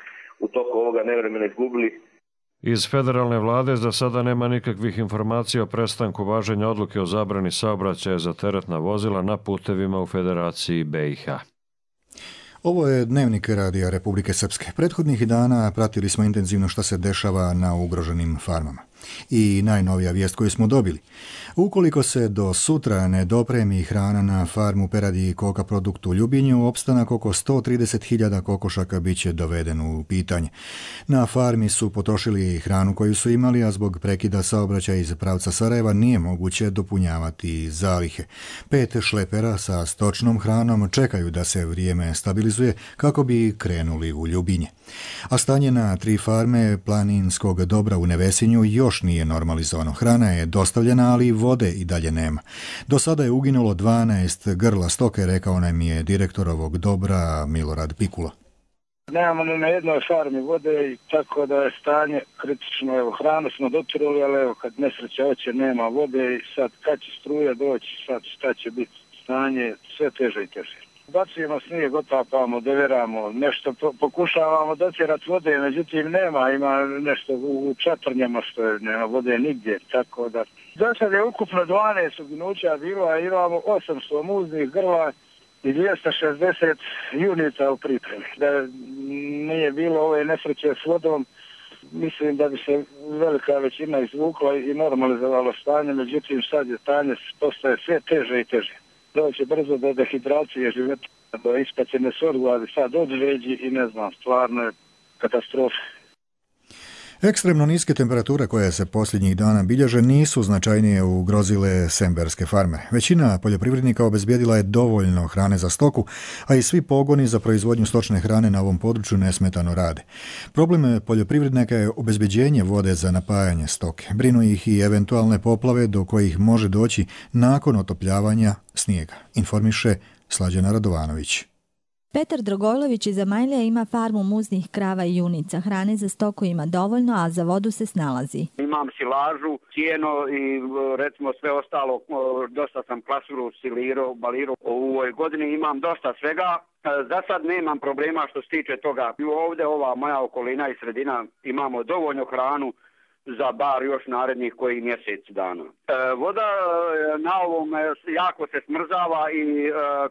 u toku ovoga nevremena izgubili. Iz federalne vlade za sada nema nikakvih informacija o prestanku važenja odluke o zabrani saobraćaja za teretna vozila na putevima u Federaciji BiH. Ovo je Dnevnik Radija Republike Srpske. Prethodnih dana pratili smo intenzivno šta se dešava na ugroženim farmama. I najnovija vijest koju smo dobili. Ukoliko se do sutra ne dopremi hrana na farmu peradi i koka produktu u Ljubinju, opstanak oko 130.000 kokošaka bit će doveden u pitanje. Na farmi su potrošili hranu koju su imali, a zbog prekida saobraćaja iz pravca Sarajeva nije moguće dopunjavati zalihe. 5 šlepera sa stočnom hranom čekaju da se vrijeme stabilizuje kako bi krenuli u Ljubinje. A stanje na 3 farme planinskog dobra u Nevesinju još nije normalizovano. Hrana je dostavljena, ali vode i dalje nema. Do sada je uginulo 12 grla stoke, rekao nam je direktor ovog dobra Milorad Pikula. Nemamo ni na jednoj farmi vode i tako da je stanje kritično. Evo, hranu smo dotirali, ali evo, kad nesreća hoće, nema vode i sad kad će struja doći, sad šta će biti stanje, sve teže i teže. Bacujemo snijeg, otapamo, deveramo, nešto pokušavamo dotjerati vode, međutim nema, ima nešto u čatrnjama što je, nema vode nigdje, tako da. Za sad je ukupno 12 uginuća bilo, a imamo 800 muznih grla i 260 junita u pripremi. Da nije bilo ove nesreće s vodom, mislim da bi se velika većina izvukla i normalizovalo stanje, međutim sad je stanje postaje sve teže i teže. Doće brzo do dehidracije života. ispaćene sorgu, ali sad odveđi i ne znam, stvarno je katastrofa. Ekstremno niske temperature koje se posljednjih dana bilježe nisu značajnije ugrozile semberske farme. Većina poljoprivrednika obezbijedila je dovoljno hrane za stoku, a i svi pogoni za proizvodnju stočne hrane na ovom području nesmetano rade. Problem poljoprivrednika je obezbeđenje vode za napajanje stoke. Brinu ih i eventualne poplave do kojih može doći nakon otopljavanja snijega, informiše Slađana Radovanović. Petar Dragojlović iz Amajlija ima farmu muznih krava i junica. Hrane za stoku ima dovoljno, a za vodu se snalazi. Imam silažu, cijeno i recimo sve ostalo. Dosta sam klasuru, silirao, balirao. U ovoj godini imam dosta svega. Za sad nemam problema što se tiče toga. Ovdje ova moja okolina i sredina imamo dovoljno hranu za bar još narednih koji mjesec dana. Voda na ovom jako se smrzava i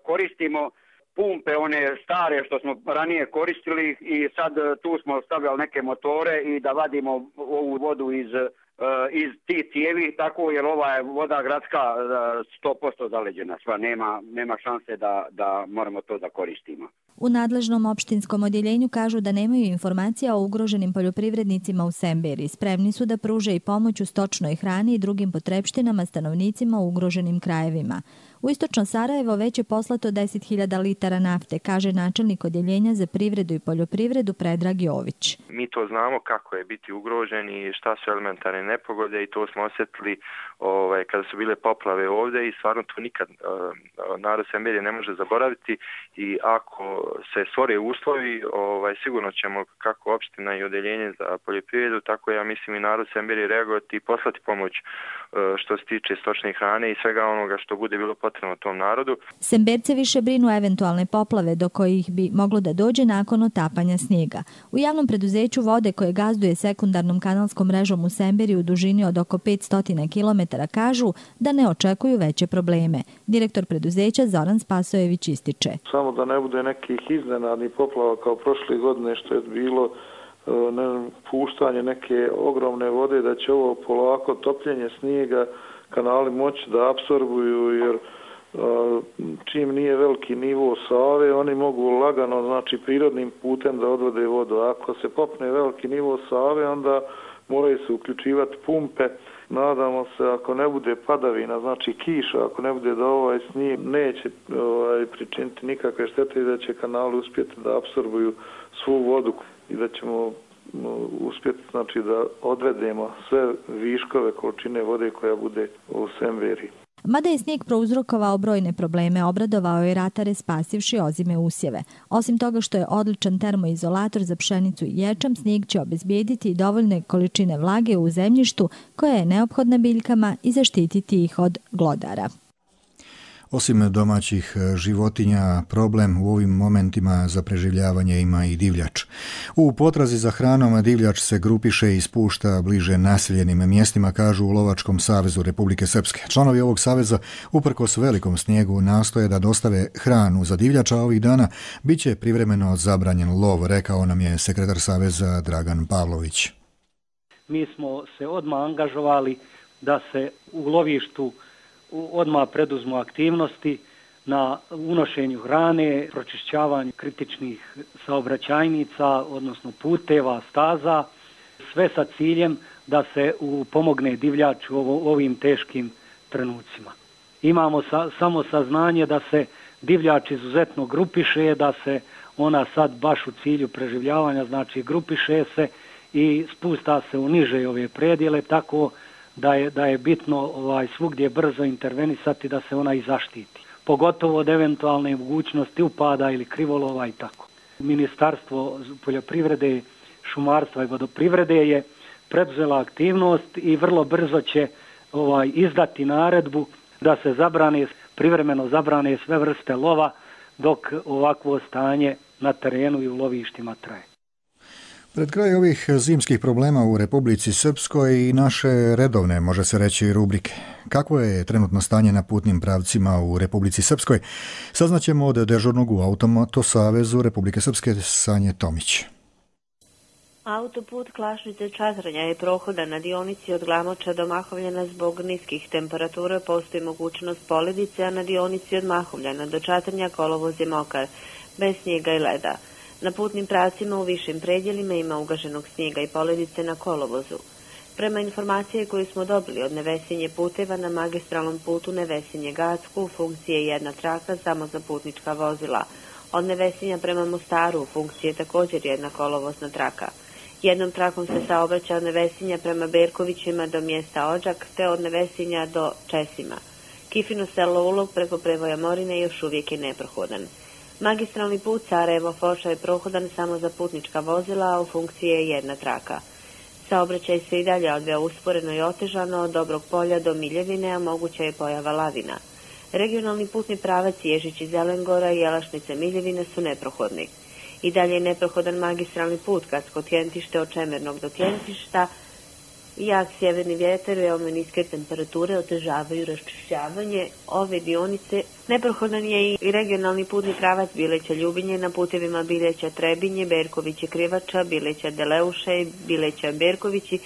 koristimo pumpe, one stare što smo ranije koristili i sad tu smo stavljali neke motore i da vadimo ovu vodu iz tih cijevi, tako jer ova je voda gradska 100% zaleđena, sva nema šanse da moramo to da koristimo. U nadležnom opštinskom odjeljenju kažu da nemaju informacija o ugroženim poljoprivrednicima u Semberi. Spremni su da pruže i pomoć u stočnoj hrani i drugim potrepštinama stanovnicima u ugroženim krajevima. U istočno Sarajevo već je poslato 10.000 litara nafte, kaže načelnik odjeljenja za privredu i poljoprivredu Predrag Jović. Mi to znamo kako je biti ugrožen i šta su elementarne nepogode i to smo osjetili kada su bile poplave ovdje i stvarno to nikad narod Semberije ne može zaboraviti i ako se stvore uslovi, sigurno ćemo kako opština i odjeljenje za poljoprivredu, tako ja mislim i narod Semberije reagovati i poslati pomoć što se tiče stočne hrane i svega onoga što bude bilo potrebno tom narodu. Semberce više brinu eventualne poplave do kojih bi moglo da dođe nakon otapanja snijega. U javnom preduzeću Vode koje gazduje sekundarnom kanalskom mrežom u Semberiji u dužini od oko 500 km kažu da ne očekuju veće probleme. Direktor preduzeća Zoran Spasojević ističe. Samo da ne bude nekih iznenadnih poplava kao prošle godine što je bilo puštanje neke ogromne vode, da će ovo polako topljenje snijega kanali moći da apsorbuju, jer čim nije veliki nivo Save, oni mogu lagano, znači prirodnim putem da odvode vodu. Ako se popne veliki nivo Save, onda moraju se uključivati pumpe. Nadamo se, ako ne bude padavina, znači kiša, ako ne bude da ovaj snijeg neće pričiniti nikakve štete i da će kanali uspjeti da apsorbuju svu vodu i da ćemo uspjeti, znači, da odvedemo sve viškove količine vode koja bude u Semberi. Mada je snijeg prouzrokovao brojne probleme, obradovao je ratare spasivši ozime usjeve. Osim toga što je odličan termoizolator za pšenicu i ječam, snijeg će obezbijediti i dovoljne količine vlage u zemljištu koja je neophodna biljkama i zaštititi ih od glodara. Osim domaćih životinja, problem u ovim momentima za preživljavanje ima i divljač. U potrazi za hranom divljač se grupiše i spušta bliže naseljenim mjestima, kažu u Lovačkom savezu Republike Srpske. Članovi ovog saveza, uprkos velikom snijegu, nastoje da dostave hranu za divljača, a ovih dana bit će privremeno zabranjen lov, rekao nam je sekretar saveza Dragan Pavlović. Mi smo se odmah angažovali da se u lovištu odmah preduzmu aktivnosti na unošenju hrane, pročišćavanju kritičnih saobraćajnica, odnosno puteva, staza, sve sa ciljem da se pomogne divljaču u ovim teškim trenucima. Imamo samo saznanje da se divljač izuzetno grupiše, da se ona sad baš u cilju preživljavanja, znači grupiše se i spusta se u niže ove predjele, tako da je bitno svugdje brzo intervenisati da se ona i zaštiti. Pogotovo od eventualne mogućnosti upada ili krivolova i tako. Ministarstvo poljoprivrede, šumarstva i vodoprivrede je preduzela aktivnost i vrlo brzo će izdati naredbu da se privremeno zabrane sve vrste lova dok ovakvo stanje na terenu i u lovištima traje. Pred kraj ovih zimskih problema u Republici Srpskoj i naše redovne, može se reći, rubrike. Kakvo je trenutno stanje na putnim pravcima u Republici Srpskoj? Saznaćemo od dežurnog u Automoto savezu Republike Srpske Sanje Tomić. Autoput Klašnice-Čatrnja je prohodan na dionici od Glamoča do Mahovljana zbog niskih temperatura, postoji mogućnost poledice, a na dionici od Mahovljana do Čatrnja kolovoz je mokar, bez snijega i leda. Na putnim pravcima u višim predjelima ima ugaženog snijega i poledice na kolovozu. Prema informacije koju smo dobili od Nevesinje puteva, na magistralnom putu Nevesinje-Gacku u funkciji je jedna traka samo za putnička vozila. Od Nevesinja prema Mostaru u funkciji je također jedna kolovozna traka. Jednom trakom se saobraća od Nevesinja prema Berkovićima do mjesta Odžak, te od Nevesinja do Česima. Kifino selo Ulog preko prevoja Morine još uvijek je neprohodan. Magistralni put Sarajevo-Foča je prohodan samo za putnička vozila, a u funkciji je jedna traka. Saobraćaj se i dalje odvija usporeno i otežano od Dobrog polja do Miljevine, a moguća je pojava lavina. Regionalni putni pravac Ježić iz Zelengora i Jelašnice Miljevine su neprohodni. I dalje je neprohodan magistralni put Kacko-Tjentište od Čemernog do Tjentišta. Jak sjeverni vjetar, veoma niske temperature otežavaju raščišćavanje ove dionice. Neprohodan je i regionalni putni pravac Bileća-Ljubinje na putevima Bileća-Trebinje, Berkovići-Krivača, Bileća-Deleuše i Bileća-Berkovići.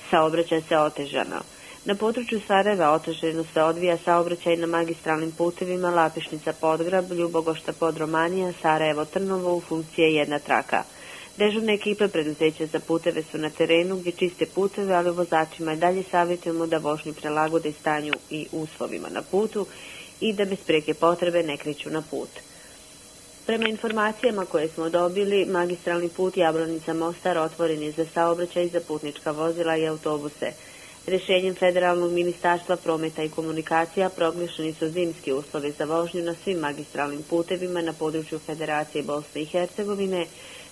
Saobraćaj se otežano. Na području Sarajeva otežano se odvija saobraćaj na magistralnim putevima Lapišnica-Podgrab, Ljubogošta-Podromanija, Sarajevo-Trnovo u funkciji je jedna traka. Dežurne ekipe preduzeća za puteve su na terenu gdje čiste puteve, ali vozačima i dalje savjetujemo da vožnju prilagode stanju i uslovima na putu i da bez prijeke potrebe ne kreću na put. Prema informacijama koje smo dobili, magistralni put Jablanica-Mostar otvoren je za saobraćaj za putnička vozila i autobuse. Rješenjem Federalnog ministarstva prometa i komunikacija proglašeni su zimski uslovi za vožnju na svim magistralnim putevima na području Federacije Bosne i Hercegovine,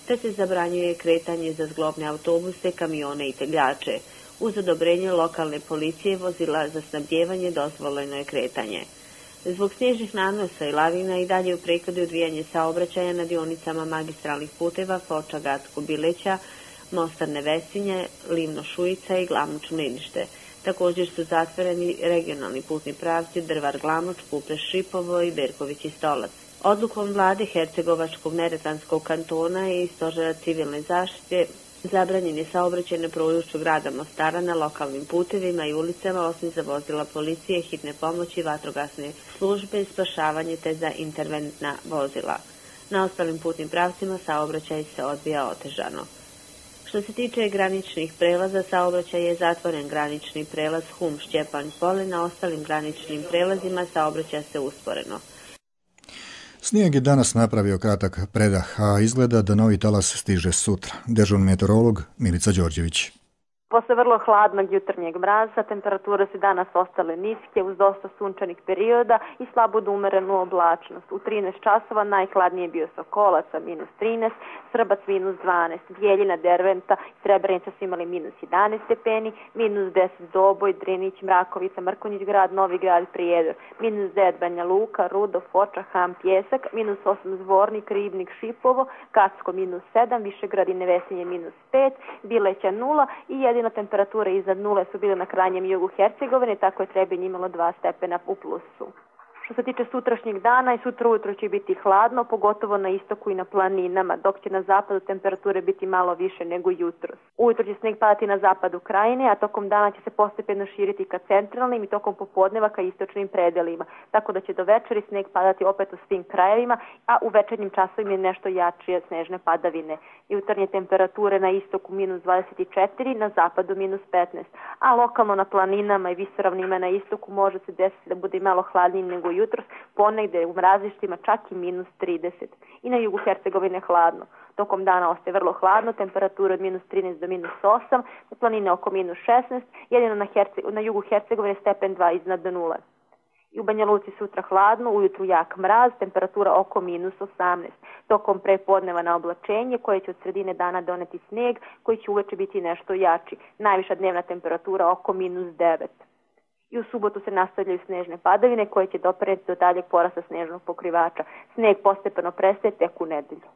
te se zabranjuje kretanje za zglobne autobuse, kamione i tegljače. Uz odobrenje lokalne policije vozila za snabdijevanje dozvoljeno je kretanje. Zbog snježnih nanosa i lavina i dalje u prekladu odvijanje saobraćaja na dionicama magistralnih puteva Foča, Gacko, Bileća, Mostar, Nevesinje, Livno, Šujica i Glamoč, Mlinište. Također su zatvoreni regionalni putni pravci Drvar, Glamoč, Kupreš, Šipovo i Berković i Stolac. Odlukom vlade Hercegovačkog Neretvanskog kantona i Stožera civilne zaštite zabranjen je saobraćaj na području grada Mostara na lokalnim putevima i ulicama osim za vozila policije, hitne pomoći, vatrogasne službe, spašavanje te za interventna vozila. Na ostalim putnim pravcima saobraćaj se odvija otežano. Što se tiče graničnih prelaza, saobraćaj je zatvoren granični prelaz Hum, Šćepan, Pole, na ostalim graničnim prelazima saobraćaj se usporeno. Snijeg je danas napravio kratak predah, a izgleda da novi talas stiže sutra. Dežurni meteorolog Milica Đorđević. Posle vrlo hladnog jutarnjeg mraza, temperature su danas ostale niske uz dosta sunčanih perioda i slabo do umerenu oblačnost. U 13 časova najhladnije bio Sokolac sa minus 13, Srbac minus 12, Bijeljina, Derventa i Srebrenica su imali minus 11 stepeni, minus 10 Doboj, Drinić, Mrakovica, Mrkonjić grad, Novi grad, Prijedor, minus 9 Banja Luka, Rudo, Foča, Ham, Pjesak, minus 8 Zvornik, Ribnik, Šipovo, Kacko minus 7, Višegrad i Nevesinje minus 5, Bileća 0 i jedino temperature iznad nule su bile na krajnjem jugu Hercegovine, tako je Trebinje imalo 2 stepena u plusu. Što se tiče sutrašnjeg dana, i sutra ujutro će biti hladno, pogotovo na istoku i na planinama, dok će na zapadu temperature biti malo više nego jutros. Ujutro će sneg padati na zapadu krajine, a tokom dana će se postepeno širiti ka centralnim i tokom popodneva ka istočnim predelima, tako da će do večeri sneg padati opet u svim krajevima, a u večernjim časovima je nešto jačije snežne padavine. Jutarnje temperature na istoku minus 24, na zapadu minus 15, a lokalno na planinama i visoravnima na istoku može se desiti da bude malo hladnije nego jutros, ponegde u mrazištima čak i minus 30. I na jugu Hercegovine hladno. Tokom dana ostaje vrlo hladno, temperatura od minus 13 do minus 8, na planine oko minus 16, jedino na jugu Hercegovine stepen 2 iznad nule. I u Banja Luci sutra hladno, ujutru jak mraz, temperatura oko minus 18. Tokom prepodneva na oblačenje koje će od sredine dana doneti sneg koji će uveče biti nešto jači. Najviša dnevna temperatura oko minus 9. I u subotu se nastavljaju snežne padavine koje će doprinijeti do daljeg porasta snežnog pokrivača. Sneg postepeno prestaje tek u nedelju.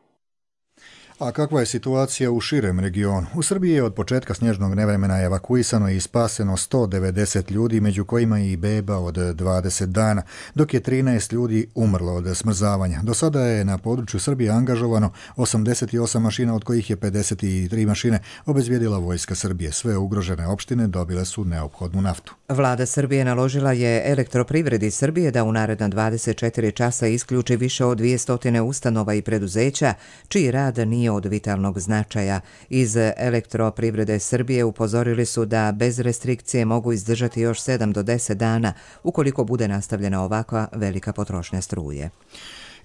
A kakva je situacija u širem regionu? U Srbiji je od početka snježnog nevremena evakuisano i spaseno 190 ljudi, među kojima i beba od 20 dana, dok je 13 ljudi umrlo od smrzavanja. Do sada je na području Srbije angažovano 88 mašina, od kojih je 53 mašine obezbijedila vojska Srbije. Sve ugrožene opštine dobile su neophodnu naftu. Vlada Srbije naložila je Elektroprivredi Srbije da u naredna 24 časa isključi više od 200 ustanova i preduzeća, čiji rad nije od vitalnog značaja. Iz Elektroprivrede Srbije upozorili su da bez restrikcije mogu izdržati još 7 do 10 dana ukoliko bude nastavljena ovakva velika potrošnja struje.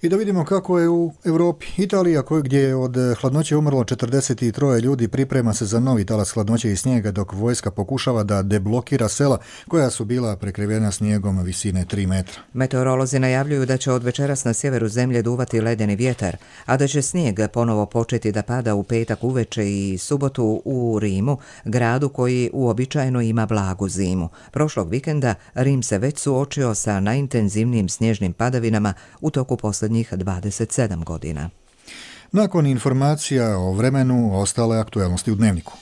I da vidimo kako je u Europi. Italija, gdje je od hladnoće umrlo 43 ljudi, priprema se za novi talas hladnoće i snijega, dok vojska pokušava da deblokira sela koja su bila prekrivena snijegom visine 3 metra. Meteorolozi najavljuju da će od večeras na sjeveru zemlje duvati ledeni vjetar, a da će snijeg ponovo početi da pada u petak uveče i subotu u Rimu, gradu koji uobičajeno ima blagu zimu. Prošlog vikenda Rim se već suočio sa najintenzivnijim snježnim padavinama u toku posljednjih 27 godina. Nakon informacija o vremenu, ostale aktuelnosti u Dnevniku.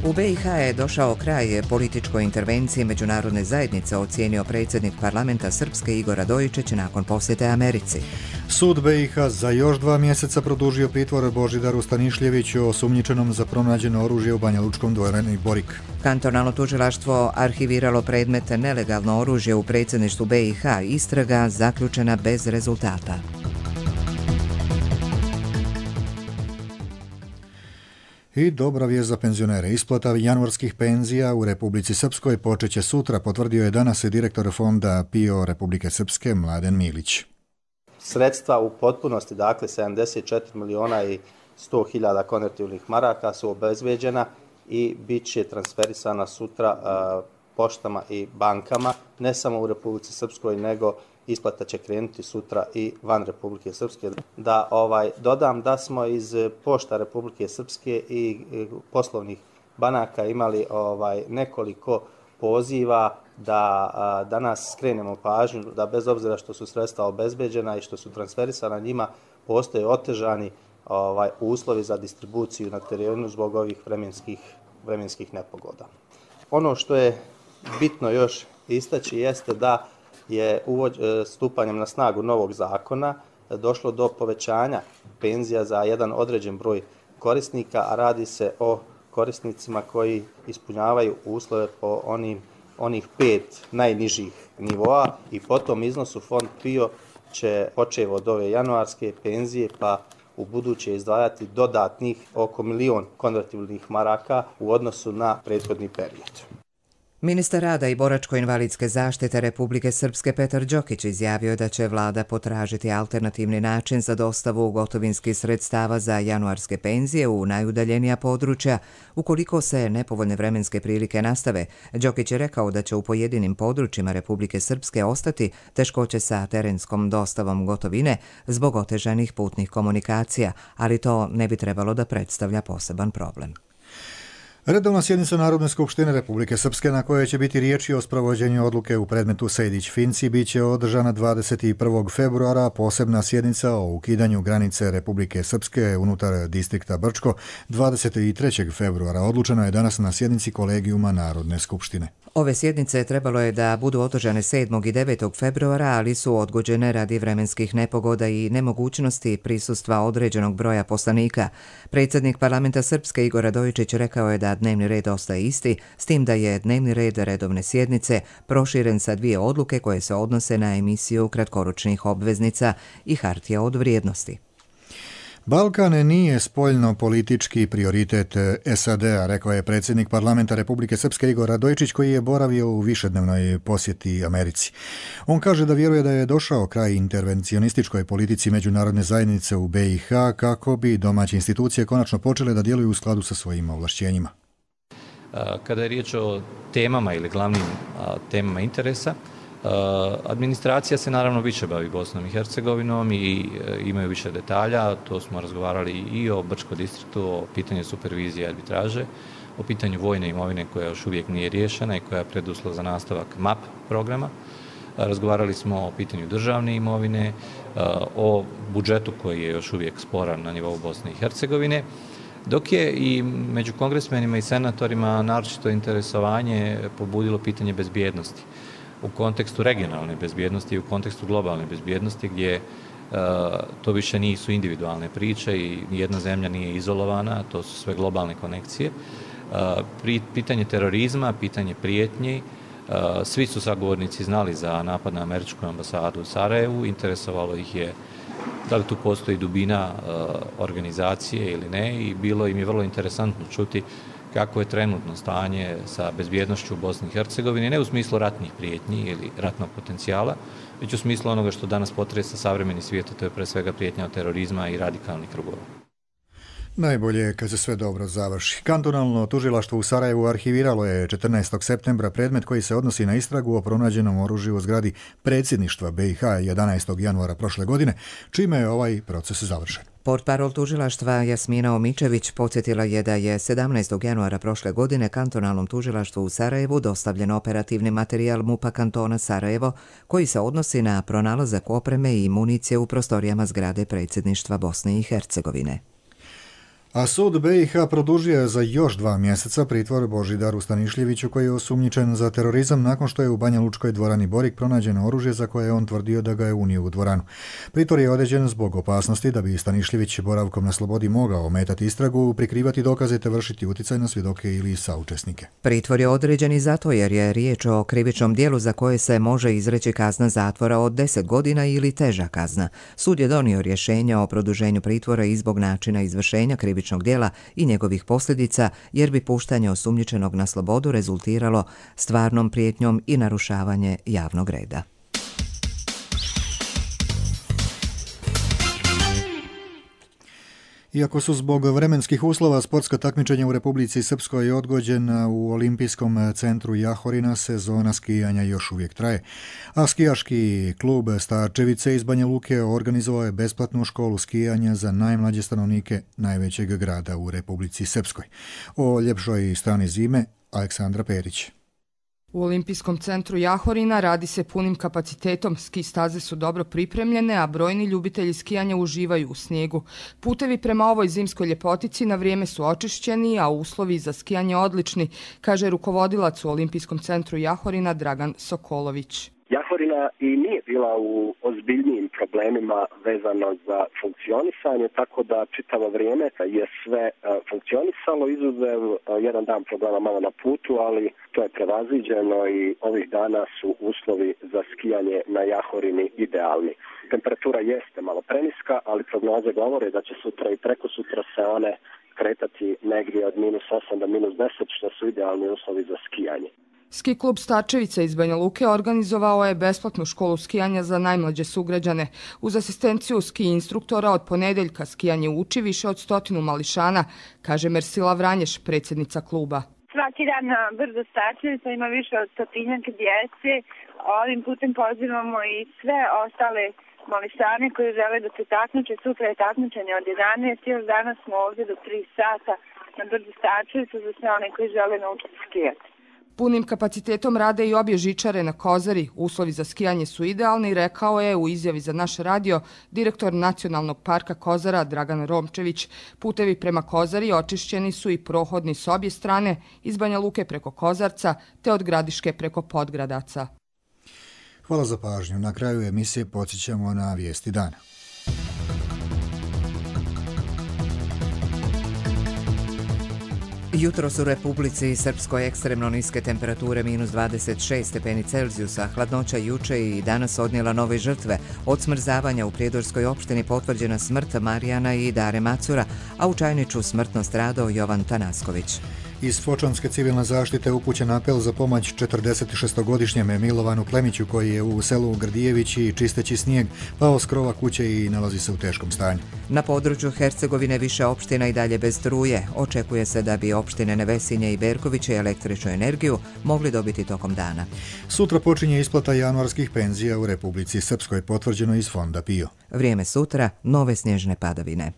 U BiH je došao kraj političkoj intervenciji međunarodne zajednice, ocijenio predsjednik parlamenta Srpske Igor Radojičić nakon posjete Americi. Sud BiH za još 2 mjeseca produžio pritvor Božidaru Stanišljeviću, osumnjičenom za pronađeno oružje u Banja Lučkom dvorani Borik. Kantonalno tužilaštvo arhiviralo predmet nelegalno oružje u predsjedništvu BiH, istraga zaključena bez rezultata. I dobra vijest za penzionere. Isplata januarskih penzija u Republici Srpskoj počeće sutra, potvrdio je danas direktor fonda PIO Republike Srpske Mladen Milić. Sredstva u potpunosti, dakle 74 miliona i 100 hiljada konvertibilnih maraka su obezbeđena i bit će transferisana sutra poštama i bankama, ne samo u Republici Srpskoj, nego isplata će krenuti sutra i van Republike Srpske. Da dodam da smo iz pošta Republike Srpske i poslovnih banaka imali nekoliko poziva da danas skrenemo pažnju da bez obzira što su sredstva obezbeđena i što su transferisana njima, postoje otežani uslovi za distribuciju na terenu zbog ovih vremenskih nepogoda. Ono što je bitno još istaći jeste da je stupanjem na snagu novog zakona došlo do povećanja penzija za jedan određen broj korisnika, a radi se o korisnicima koji ispunjavaju uslove po onih 5 najnižih nivoa i po tom iznosu fond PIO će počev od ove januarske penzije pa u buduće izdvajati dodatnih oko 1 milion konvertibilnih maraka u odnosu na prethodni period. Ministar rada i boračko-invalidske zaštite Republike Srpske Petar Đokić izjavio da će vlada potražiti alternativni način za dostavu gotovinskih sredstava za januarske penzije u najudaljenija područja ukoliko se nepovoljne vremenske prilike nastave. Đokić je rekao da će u pojedinim područjima Republike Srpske ostati teškoće sa terenskom dostavom gotovine zbog otežanih putnih komunikacija, ali to ne bi trebalo da predstavlja poseban problem. Redovna sjednica Narodne skupštine Republike Srpske, na kojoj će biti riječi o sprovođenju odluke u predmetu Sejdić-Finci, bit će održana 21. februara, a posebna sjednica o ukidanju granice Republike Srpske unutar distrikta Brčko 23. februara. Odlučeno je danas na sjednici Kolegijuma Narodne skupštine. Ove sjednice trebalo je da budu održane 7. i 9. februara, ali su odgođene radi vremenskih nepogoda i nemogućnosti prisustva određenog broja poslanika. Predsjednik parlamenta Srpske Igor Radojičić rekao je da dnevni red ostaje isti, s tim da je dnevni red redovne sjednice proširen sa 2 odluke koje se odnose na emisiju kratkoročnih obveznica i hartija od vrijednosti. Balkan nije spoljno-politički prioritet SAD-a, rekao je predsjednik parlamenta Republike Srpske Igor Radojičić, koji je boravio u višednevnoj posjeti Americi. On kaže da vjeruje da je došao kraj intervencionističkoj politici međunarodne zajednice u BiH kako bi domaće institucije konačno počele da djeluju u skladu sa svojim ovlašćenjima. Kada je riječ o temama ili glavnim temama interesa, administracija se naravno više bavi Bosnom i Hercegovinom i imaju više detalja. To smo razgovarali i o Brčko distriktu, o pitanju supervizije i arbitraže, o pitanju vojne imovine koja još uvijek nije riješena i koja je preduslov za nastavak MAP programa. razgovarali smo o pitanju državne imovine, o budžetu koji je još uvijek sporan na nivou Bosne i Hercegovine, dok je i među kongresmenima i senatorima naročito interesovanje pobudilo pitanje bezbjednosti u kontekstu regionalne bezbjednosti i u kontekstu globalne bezbjednosti gdje to više nisu individualne priče i nijedna zemlja nije izolovana, to su sve globalne konekcije. Pitanje terorizma, pitanje prijetnji, svi su sagovornici znali za napad na američku ambasadu u Sarajevu, interesovalo ih je da li tu postoji dubina organizacije ili ne i bilo im je vrlo interesantno čuti kako je trenutno stanje sa bezbjednošću u Bosni i Hercegovini, ne u smislu ratnih prijetnji ili ratnog potencijala, već u smislu onoga što danas potresa savremeni svijet, to je pre svega prijetnja od terorizma i radikalnih krugova. Najbolje je kad se sve dobro završi. Kantonalno tužilaštvo u Sarajevu arhiviralo je 14. septembra predmet koji se odnosi na istragu o pronađenom oružju u zgradi predsjedništva BiH 11. januara prošle godine, čime je ovaj proces završen. Portparol tužilaštva Jasmina Omičević podsjetila je da je 17. januara prošle godine kantonalnom tužilaštvu u Sarajevu dostavljen operativni materijal MUP-a kantona Sarajevo koji se odnosi na pronalazak opreme i municije u prostorijama zgrade predsjedništva Bosne i Hercegovine. A sud BiH produžio je za još 2 mjeseca pritvor Božidaru Stanišljeviću koji je osumnjičen za terorizam nakon što je u Banja Lučkoj dvorani Borik pronađeno oružje za koje je on tvrdio da ga je unio u dvoranu. Pritvor je određen zbog opasnosti da bi Stanišljević boravkom na slobodi mogao ometati istragu, prikrivati dokaze te vršiti utjecaj na svjedoke ili saučesnike. Pritvor je određen i zato jer je riječ o krivičnom djelu za koje se može izreći kazna zatvora od 10 godina ili teža kazna. Sud je donio rješenje o produženju pritvora i zbog načina izvršenja krivičnog djela i njegovih posljedica, jer bi puštanje osumnjičenog na slobodu rezultiralo stvarnom prijetnjom i narušavanje javnog reda. Iako su zbog vremenskih uslova sportska takmičenja u Republici Srpskoj odgođena, u Olimpijskom centru Jahorina sezona skijanja još uvijek traje, a skijaški klub Starčevice iz Banja Luke organizovao je besplatnu školu skijanja za najmlađe stanovnike najvećeg grada u Republici Srpskoj. O ljepšoj strani zime Aleksandra Perić. U Olimpijskom centru Jahorina radi se punim kapacitetom, ski staze su dobro pripremljene, a brojni ljubitelji skijanja uživaju u snijegu. Putevi prema ovoj zimskoj ljepotici na vrijeme su očišćeni, a uslovi za skijanje odlični, kaže rukovodilac u Olimpijskom centru Jahorina Dragan Sokolović. Jahorina i nije bila u ozbiljnijim problemima vezano za funkcionisanje, tako da čitavo vrijeme je sve funkcionisalo, izuzev jedan dan problema malo na putu, ali to je prevaziđeno i ovih dana su uslovi za skijanje na Jahorini idealni. Temperatura jeste malo preniska, ali prognoze govore da će sutra i preko sutra se one kretati negdje od -8 do -10, što su idealni uslovi za skijanje. Ski klub Starčevica iz Banja Luke organizovao je besplatnu školu skijanja za najmlađe sugrađane. Uz asistenciju ski instruktora od ponedeljka skijanje uči više od 100 mališana, kaže Mersila Vranješ, predsjednica kluba. Svaki dan na brdo Starčevica ima više od 100 djece. Ovim putem pozivamo i sve ostale mališane koji žele da se takmiče. Sutra je takmičenje od 11. Još danas smo ovdje do 3 sata na brdo Starčevica za sve one koji žele naučiti skijati. Punim kapacitetom rade i obje žičare na Kozari. Uslovi za skijanje su idealni, rekao je u izjavi za naš radio direktor Nacionalnog parka Kozara Dragan Romčević. Putevi prema Kozari očišćeni su i prohodni s obje strane, iz Banja Luke preko Kozarca te od Gradiške preko Podgradaca. Hvala za pažnju. Na kraju emisije podsjećamo na vijesti dana. Jutros u Republici Srpskoj ekstremno niske temperature -26 stepeni Celzijusa, hladnoća juče i danas odnijela nove žrtve. Od smrzavanja u Prijedorskoj opštini potvrđena smrt Marijana i Dare Macura, a u Čajniču smrtno stradao Jovan Tanasković. Iz Fočanske civilne zaštite upućen apel za pomoć 46-godišnjem Milovanu Klemiću koji je u selu Grdijevići čisteći snijeg pao s krova kuće i nalazi se u teškom stanju. Na području Hercegovine više opština i dalje bez struje. Očekuje se da bi opštine Nevesinje i Berkoviće električnu energiju mogli dobiti tokom dana. Sutra počinje isplata januarskih penzija u Republici Srpskoj, potvrđeno iz Fonda PIO. Vrijeme sutra, nove snježne padavine.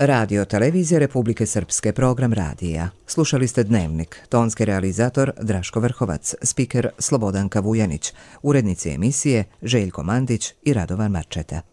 Radio Televizija Republike Srpske, program radija. Slušali ste Dnevnik, tonski realizator Draško Vrhovac, spiker Slobodanka Vujanić, urednici emisije Željko Mandić i Radovan Marčeta.